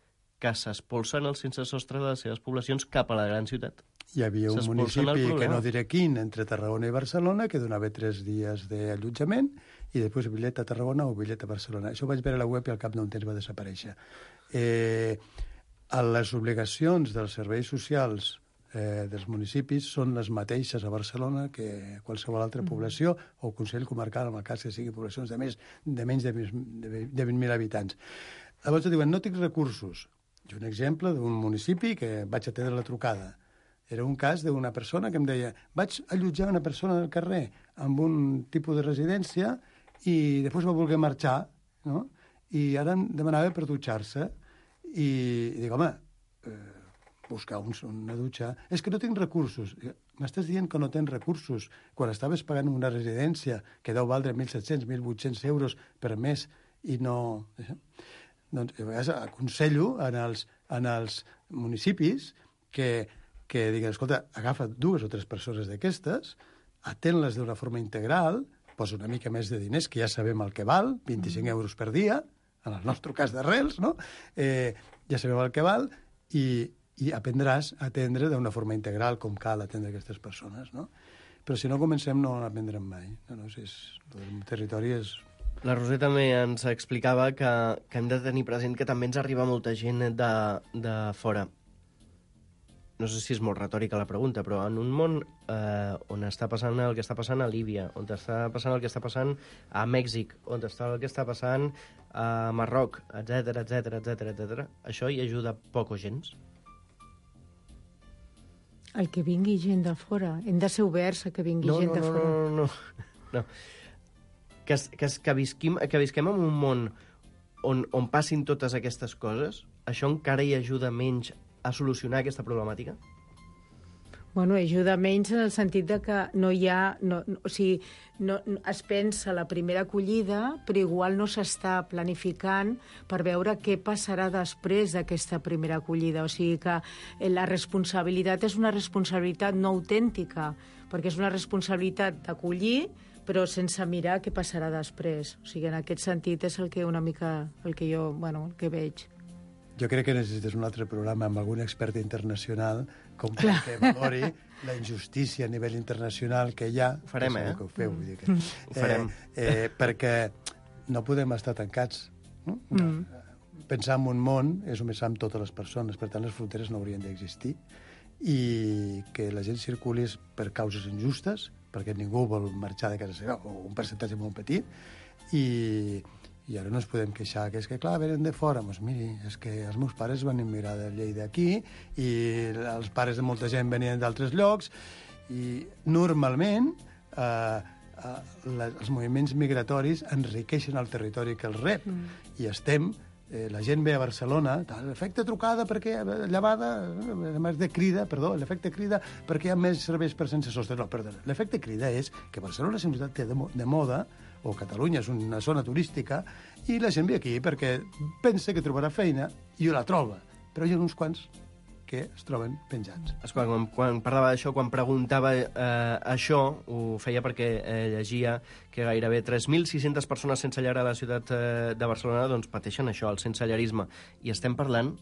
que s'espolsen el sense sostre de les seves poblacions cap a la gran ciutat. Hi havia un municipi, que no diré quin, entre Tarragona i Barcelona, que donava 3 dies d'allotjament i després bitllet a Tarragona o bitllet a Barcelona. Això ho vaig veure a la web i al cap d'un temps va desaparèixer. Les obligacions dels serveis socials dels municipis són les mateixes a Barcelona que a qualsevol altra població o Consell Comarcal, en el cas que siguin poblacions de menys de 20.000 habitants. Llavors diuen, no tinc recursos. I un exemple d'un municipi que vaig atendre la trucada. Era un cas d'una persona que em deia, vaig allotjar una persona del carrer amb un tipus de residència i després va voler marxar, no? I ara em demanava per dutxar-se. I dic, home, buscar una dutxa... És que no tinc recursos. M'estàs dient que no tens recursos quan estaves pagant una residència que deu valdre 1.700, 1.800 euros per mes i no... Doncs a vegades aconsello en els municipis que diguin, escolta, agafa 2 o 3 persones d'aquestes, atén-les d'una forma integral, posa una mica més de diners, que ja sabem el que val, 25 euros per dia, en el nostre cas d'Arrels, no? Ja sabem el que val, i aprendràs a atendre d'una forma integral com cal atendre aquestes persones, no? Però si no comencem no n'aprendrem mai. El territori és... La Roser també ens explicava que hem de tenir present que també ens arriba molta gent de fora. No sé si és molt retòrica la pregunta, però en un món on està passant el que està passant a Líbia, on està passant el que està passant a Mèxic, on està el que està passant a Marroc, etc, això hi ajuda poc o gens? El que vingui gent de fora. Hem de ser oberts a que vingui gent de fora. No. Que visquem en un món on passin totes aquestes coses, això encara hi ajuda menys a solucionar aquesta problemàtica? Bueno, ajuda menys en el sentit de que no hi ha... es pensa la primera acollida, però igual no s'està planificant per veure què passarà després d'aquesta primera acollida. O sigui que la responsabilitat és una responsabilitat no autèntica, perquè és una responsabilitat d'acollir, però sense mirar què passarà després. O sigui, en aquest sentit és el que una mica el que jo, el que veig. Jo crec que necessites un altre programa amb algun expert internacional com que valori la injustícia a nivell internacional que hi ha. Ho farem, que ho feu, vull dir que... Ho farem. Perquè no podem estar tancats. No? Pensar en un món és només amb totes les persones, per tant les fronteres no haurien d'existir, i que la gent circuli per causes injustes, perquè ningú vol marxar de casa seva, o un percentatge molt petit, i ara no ens podem queixar, que és que, clar, venen de fora. Doncs miri, és que els meus pares van emigrar de Lleida aquí, i els pares de molta gent venien d'altres llocs, i normalment els moviments migratoris enriqueixen el territori que els rep, i la gent ve a Barcelona, l'efecte trucada perquè llevada, l'efecte crida perquè hi ha més serveis per sense sostre. No, perdó, l'efecte crida és que Barcelona és una ciutat de moda, o Catalunya és una zona turística, i la gent ve aquí perquè pensa que trobarà feina i la troba, però hi ha uns quants que es troben penjats. Esclar, quan parlava d'això, quan preguntava això, ho feia perquè llegia que gairebé 3.600 persones sense llar a la ciutat de Barcelona doncs pateixen això, el sensellarisme. I estem parlant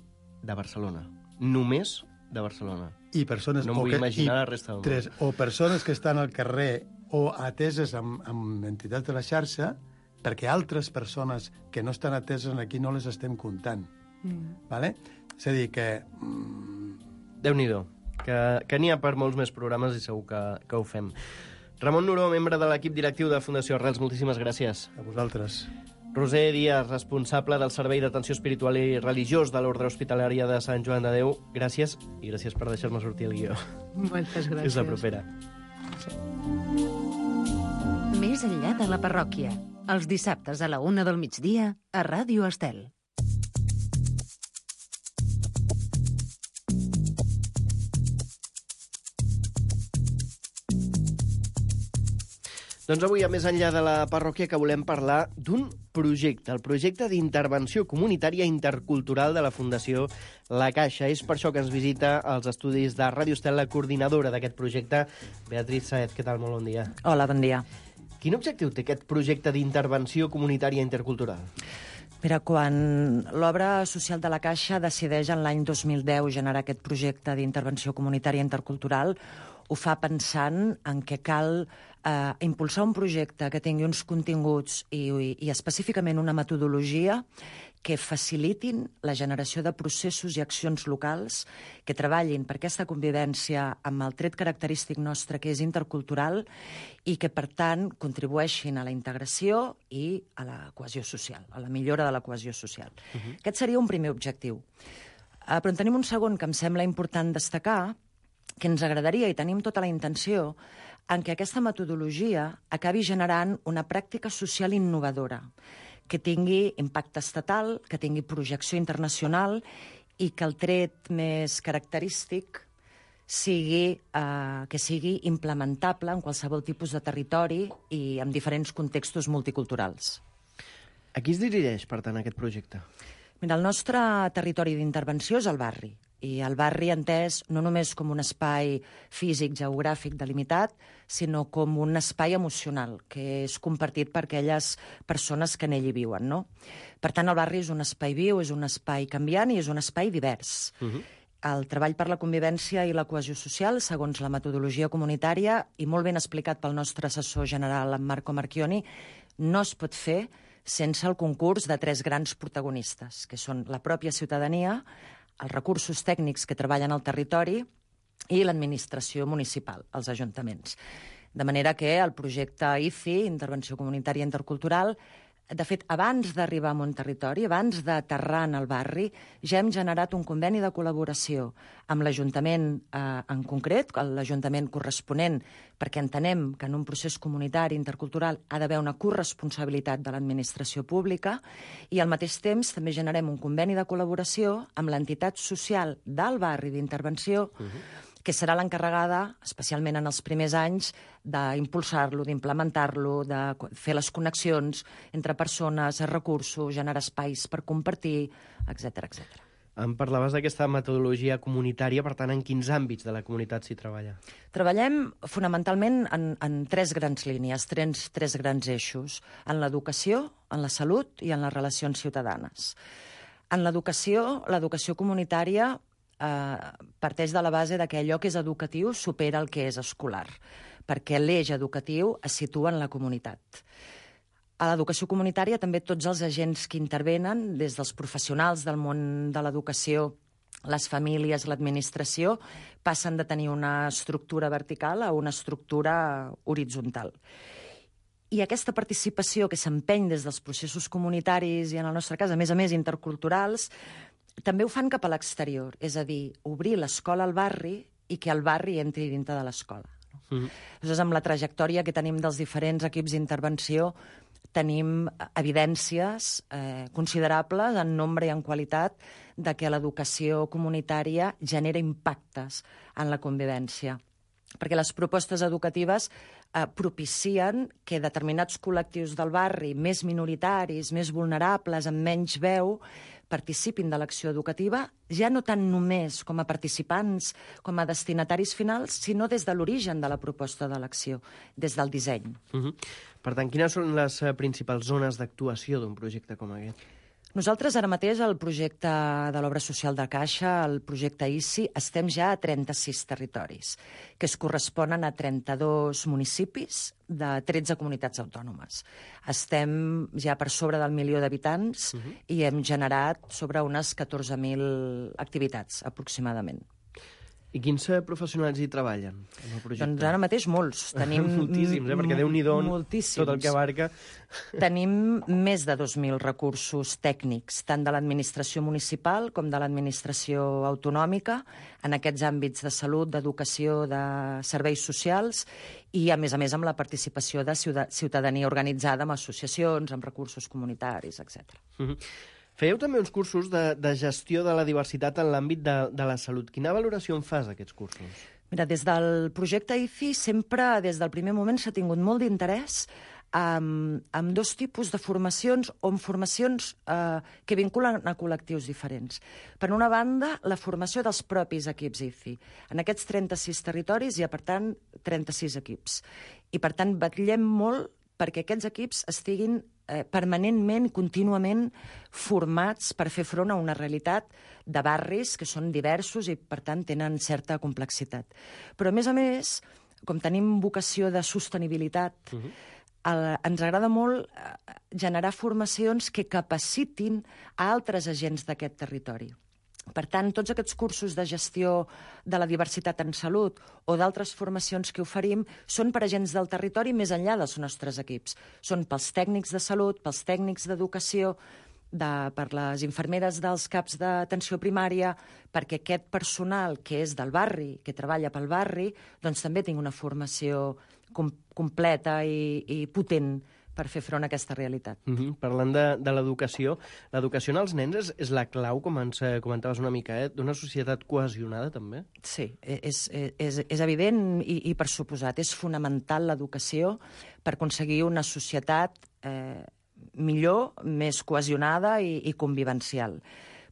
de Barcelona. Només de Barcelona. I persones, no em vull imaginar la resta del món. O persones que estan al carrer o ateses amb entitats de la xarxa, perquè altres persones que no estan ateses aquí no les estem comptant. Vale? És a dir, que... Déu-n'hi-do, que n'hi ha per molts més programes i segur que ho fem. Ramon Nuró, membre de l'equip directiu de Fundació Arrels, moltíssimes gràcies. A vosaltres. Roser Díaz, responsable del Servei d'Atenció Espiritual i Religiós de l'Ordre Hospitalària de Sant Joan de Déu, gràcies, i gràcies per deixar-me sortir el guió. Moltes gràcies. Fins la propera. Més enllà de la parròquia, els dissabtes a la 1 del migdia a Ràdio Estel. Doncs avui, a més enllà de la parròquia, que volem parlar d'un projecte, el projecte d'intervenció comunitària intercultural de la Fundació La Caixa. És per això que ens visita als estudis de Ràdio Estel la coordinadora d'aquest projecte, Beatriz Saez. Què tal? Molt bon dia. Hola, bon dia. Quin objectiu té aquest projecte d'intervenció comunitària intercultural? Mira, quan l'obra social de la Caixa decideix en l'any 2010 generar aquest projecte d'intervenció comunitària intercultural, ho fa pensant en què cal impulsar un projecte que tingui uns continguts i específicament una metodologia que facilitin la generació de processos i accions locals que treballin per aquesta convivència amb el tret característic nostre, que és intercultural, i que, per tant, contribueixin a la integració i a la cohesió social, a la millora de la cohesió social. Aquest seria un primer objectiu. Però en tenim un segon que em sembla important destacar, que ens agradaria, i tenim tota la intenció, en què aquesta metodologia acabi generant una pràctica social innovadora, que tingui impacte estatal, que tingui projecció internacional i que el tret més característic sigui implementable en qualsevol tipus de territori i en diferents contextos multiculturals. A qui es dirigeix, per tant, aquest projecte? Mira, el nostre territori d'intervenció és el barri, i el barri entès no només com un espai físic, geogràfic, delimitat, sinó com un espai emocional, que és compartit per aquelles persones que en ell hi viuen, no? Per tant, el barri és un espai viu, és un espai canviant i és un espai divers. El treball per la convivència i la cohesió social, segons la metodologia comunitària, i molt ben explicat pel nostre assessor general, en Marco Marchioni, no es pot fer sense el concurs de 3 grans protagonistes, que són la pròpia ciutadania, els recursos tècnics que treballen al territori i l'administració municipal, els ajuntaments. De manera que el projecte ICI, Intervenció Comunitària Intercultural, de fet, abans d'arribar a un territori, abans d'aterrar en el barri, ja hem generat un conveni de col·laboració amb l'Ajuntament en concret, l'Ajuntament corresponent, perquè entenem que en un procés comunitari intercultural ha d'haver una corresponsabilitat de l'administració pública, i al mateix temps també generem un conveni de col·laboració amb l'entitat social del barri d'intervenció, que serà l'encarregada, especialment en els primers anys, d'impulsar-lo, d'implementar-lo, de fer les connexions entre persones, recursos, generar espais per compartir, etc etc. Em parlaves d'aquesta metodologia comunitària, per tant, en quins àmbits de la comunitat s'hi treballa? Treballem fonamentalment en tres grans línies, tres grans eixos, en l'educació, en la salut i en les relacions ciutadanes. En l'educació comunitària parteix de la base que allò que és educatiu supera el que és escolar, perquè l'eix educatiu es situa en la comunitat. A l'educació comunitària també tots els agents que intervenen, des dels professionals del món de l'educació, les famílies, l'administració, passen de tenir una estructura vertical a una estructura horitzontal. I aquesta participació que s'empeny des dels processos comunitaris i, en el nostre cas, a més interculturals, també ho fan cap a l'exterior, és a dir, obrir l'escola al barri i que el barri entri dintre de l'escola. Llavors, amb la trajectòria que tenim dels diferents equips d'intervenció, tenim evidències considerables en nombre i en qualitat de que l'educació comunitària genera impactes en la convivència. Perquè les propostes educatives propicien que determinats col·lectius del barri, més minoritaris, més vulnerables, amb menys veu, participin de l'acció educativa, ja no tant només com a participants, com a destinataris finals, sinó des de l'origen de la proposta de l'acció, des del disseny. Per tant, quines són les principals zones d'actuació d'un projecte com aquest? Nosaltres ara mateix, el projecte de l'Obra Social de Caixa, el projecte ICI, estem ja a 36 territoris, que es corresponen a 32 municipis de 13 comunitats autònomes. Estem ja per sobre del 1 milió d'habitants i hem generat sobre unes 14.000 activitats, aproximadament. I quins professionals hi treballen en el projecte? Doncs ara mateix molts. Tenim moltíssims, perquè Déu-n'hi-do moltíssims. Tot el que abarca. Tenim més de 2.000 recursos tècnics, tant de l'administració municipal com de l'administració autonòmica, en aquests àmbits de salut, d'educació, de serveis socials, i, a més, amb la participació de ciutadania organitzada, amb associacions, amb recursos comunitaris, etc. Fèieu també uns cursos de gestió de la diversitat en l'àmbit de la salut. Quina valoració en fas d'aquests cursos? Mira, des del projecte ICI sempre, des del primer moment, s'ha tingut molt d'interès amb dos tipus de formacions o amb formacions que vinculen a col·lectius diferents. Per una banda, la formació dels propis equips ICI. En aquests 36 territoris hi ha, per tant, 36 equips. I, per tant, vetllem molt perquè aquests equips estiguin permanentment, contínuament formats per fer front a una realitat de barris que són diversos i, per tant, tenen certa complexitat. Però, a més, com tenim vocació de sostenibilitat, ens agrada molt generar formacions que capacitin a altres agents d'aquest territori. Per tant, tots aquests cursos de gestió de la diversitat en salut o d'altres formacions que oferim són per agents del territori més enllà dels nostres equips. Són pels tècnics de salut, pels tècnics d'educació, per les infermeres dels CAPs d'atenció primària, perquè aquest personal que és del barri, que treballa pel barri, doncs també tingui una formació completa i potent per fer front a aquesta realitat. Parlant de l'educació, l'educació en els nens és la clau, com ens comentaves una mica, d'una societat cohesionada, també? Sí, és evident i per suposat. És fonamental l'educació per aconseguir una societat millor, més cohesionada i convivencial.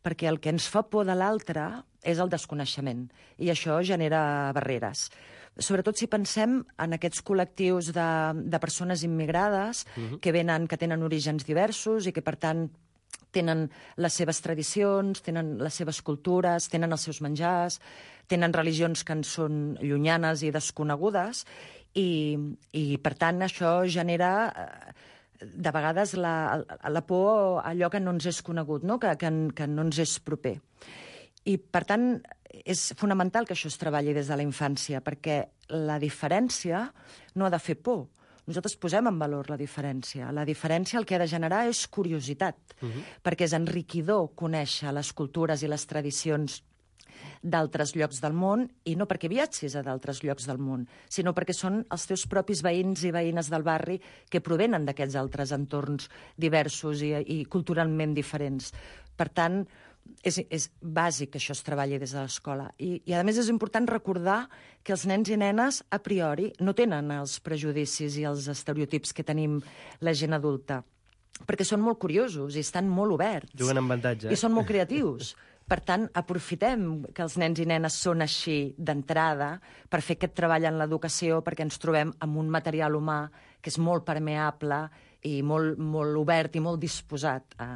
Perquè el que ens fa por de l'altre és el desconeixement, i això genera barreres. Sobretot si pensem en aquests col·lectius de persones immigrades que tenen orígens diversos i que, per tant, tenen les seves tradicions, tenen les seves cultures, tenen els seus menjars, tenen religions que ens són llunyanes i desconegudes, i per tant, això genera de vegades la por a allò que no ens és conegut, no? Que no ens és proper. I, per tant, és fonamental que això es treballi des de la infància, perquè la diferència no ha de fer por. Nosaltres posem en valor la diferència. La diferència el que ha de generar és curiositat, perquè és enriquidor conèixer les cultures i les tradicions d'altres llocs del món, i no perquè viatgis a d'altres llocs del món, sinó perquè són els teus propis veïns i veïnes del barri que provenen d'aquests altres entorns diversos i culturalment diferents. Per tant, és bàsic que això es treballi des de l'escola. I a més és important recordar que els nens i nenes a priori no tenen els prejudicis i els estereotips que tenim la gent adulta, perquè són molt curiosos i estan molt oberts. Juguen amb avantatge. I són molt creatius. Per tant, aprofitem que els nens i nenes són així d'entrada per fer aquest treball en l'educació, perquè ens trobem amb un material humà que és molt permeable i molt obert i molt disposat a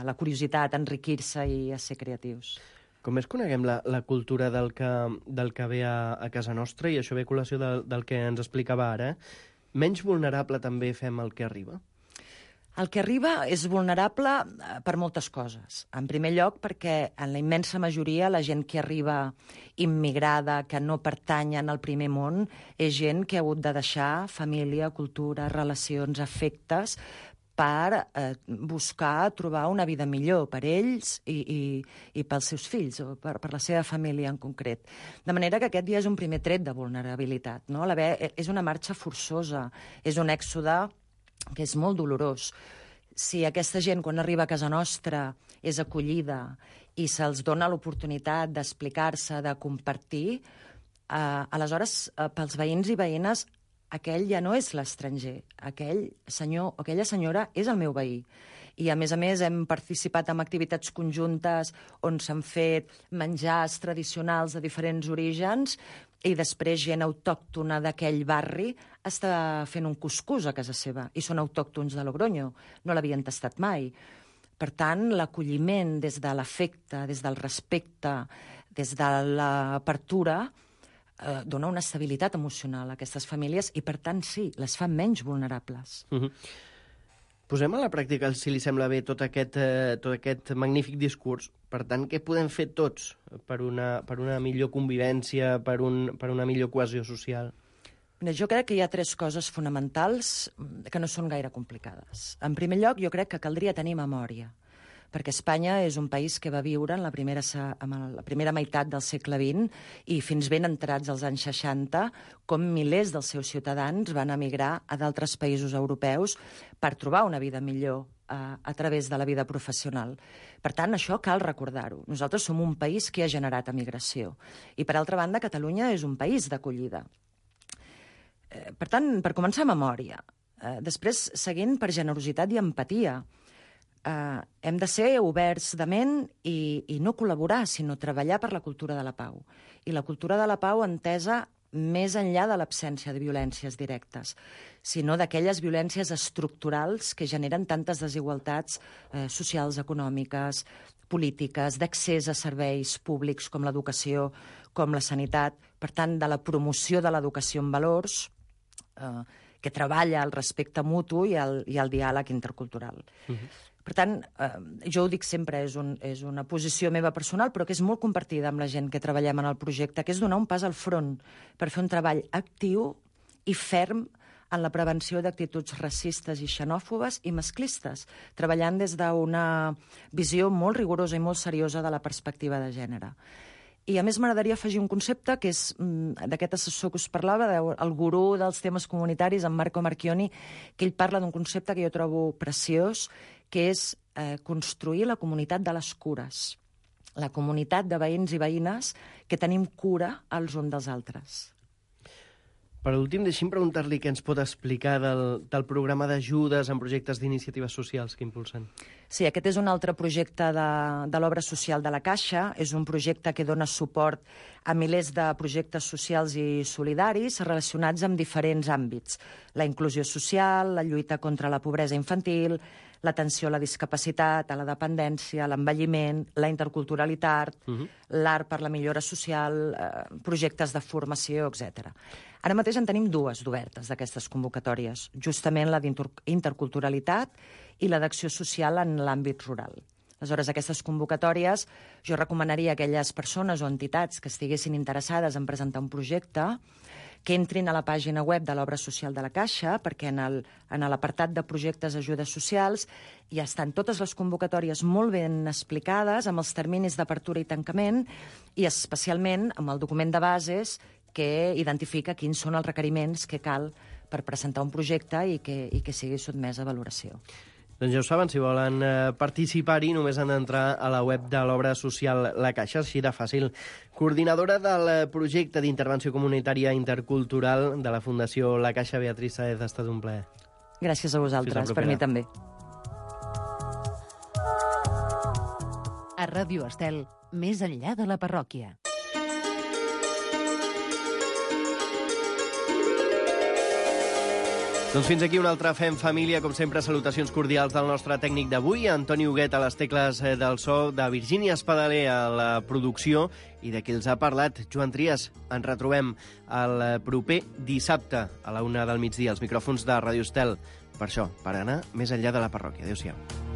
la curiositat, a enriquir-se i a ser creatius. Com més coneguem la cultura del que ve a casa nostra, i això ve a col·lació del que ens explicava ara, menys vulnerable també fem el que arriba? El que arriba és vulnerable per moltes coses. En primer lloc, perquè en la immensa majoria la gent que arriba immigrada, que no pertanyen al primer món, és gent que ha hagut de deixar família, cultura, relacions, afectes, per buscar trobar una vida millor per ells i pels seus fills, o per la seva família en concret. De manera que aquest ja és un primer tret de vulnerabilitat, no? És una marxa forçosa, és un èxode que és molt dolorós. Si aquesta gent, quan arriba a casa nostra, és acollida i se'ls dona l'oportunitat d'explicar-se, de compartir, aleshores, pels veïns i veïnes, aquell ja no és l'estranger. Aquell senyor o aquella senyora és el meu veí. I, a més, hem participat en activitats conjuntes on s'han fet menjars tradicionals de diferents orígens i després gent autòctona d'aquell barri està fent un cuscús a casa seva i són autòctons de Logroño, no l'havien tastat mai. Per tant, l'acolliment des de l'afecte, des del respecte, des de l'apertura, dona una estabilitat emocional a aquestes famílies i, per tant, sí, les fa menys vulnerables. Posem a la pràctica, si li sembla bé, tot aquest magnífic discurs. Per tant, què podem fer tots per una millor convivència, per una millor cohesió social? Jo crec que hi ha 3 coses fonamentals que no són gaire complicades. En primer lloc, jo crec que caldria tenir memòria, perquè Espanya és un país que va viure en la primera meitat del segle XX i fins ben entrats als anys 60, com milers dels seus ciutadans van emigrar a d'altres països europeus per trobar una vida millor a través de la vida professional. Per tant, això cal recordar-ho. Nosaltres som un país que ha generat emigració. I, per altra banda, Catalunya és un país d'acollida. Per tant, per començar, memòria. Després, seguint per generositat i empatia. Hem de ser oberts de ment i no col·laborar, sinó treballar per la cultura de la pau. I la cultura de la pau entesa més enllà de l'absència de violències directes, sinó d'aquelles violències estructurals que generen tantes desigualtats socials, econòmiques, polítiques, d'accés a serveis públics com l'educació, com la sanitat, per tant, de la promoció de l'educació en valors, que treballa el respecte mutu i el diàleg intercultural. Per tant, jo ho dic sempre, és una posició meva personal, però que és molt compartida amb la gent que treballem en el projecte, que és donar un pas al front per fer un treball actiu i ferm en la prevenció d'actituds racistes i xenòfobes i masclistes, treballant des d'una visió molt rigorosa i molt seriosa de la perspectiva de gènere. I, a més, m'agradaria afegir un concepte que és d'aquest assessor que us parlava, el gurú dels temes comunitaris, en Marco Marchioni, que ell parla d'un concepte que jo trobo preciós, que és construir la comunitat de les cures, la comunitat de veïns i veïnes que tenim cura els uns dels altres. Per últim, deixi'm preguntar-li què ens pot explicar del programa d'ajudes en projectes d'iniciatives socials que impulsen. Sí, aquest és un altre projecte de l'obra social de la Caixa. És un projecte que dona suport a milers de projectes socials i solidaris relacionats amb diferents àmbits. La inclusió social, la lluita contra la pobresa infantil, l'atenció a la discapacitat, a la dependència, l'envelliment, la interculturalitat, l'art per la millora social, projectes de formació, etc. Ara mateix en tenim 2 d'obertes d'aquestes convocatòries, justament la d'interculturalitat i la d'acció social en l'àmbit rural. Aleshores, aquestes convocatòries jo recomanaria a aquelles persones o entitats que estiguessin interessades en presentar un projecte que entrin a la pàgina web de l'Obra Social de la Caixa, perquè en l'apartat de projectes ajudes socials ja estan totes les convocatòries molt ben explicades, amb els terminis d'apertura i tancament, i especialment amb el document de bases que identifica quins són els requeriments que cal per presentar un projecte i que sigui sotmès a valoració. Doncs ja ho saben, si volen participar-hi només han d'entrar a la web de l'Obra Social La Caixa, així de fàcil. Coordinadora del projecte d'intervenció comunitària intercultural de la Fundació La Caixa, Beatriz Sáez, ha estat un plaer. Gràcies a vosaltres, per mi també. A Ràdio Estel, més enllà de la parròquia. Doncs fins aquí un altre Fem Família. Com sempre, salutacions cordials del nostre tècnic d'avui, Antoni Huguet a les tecles del so, de Virgínia Espadaler a la producció i de qui els ha parlat, Joan Trias. Ens retrobem el proper dissabte a la 1 del migdia als micròfons de Ràdio Estel. Per això, per anar més enllà de la parròquia. Adéu-siau.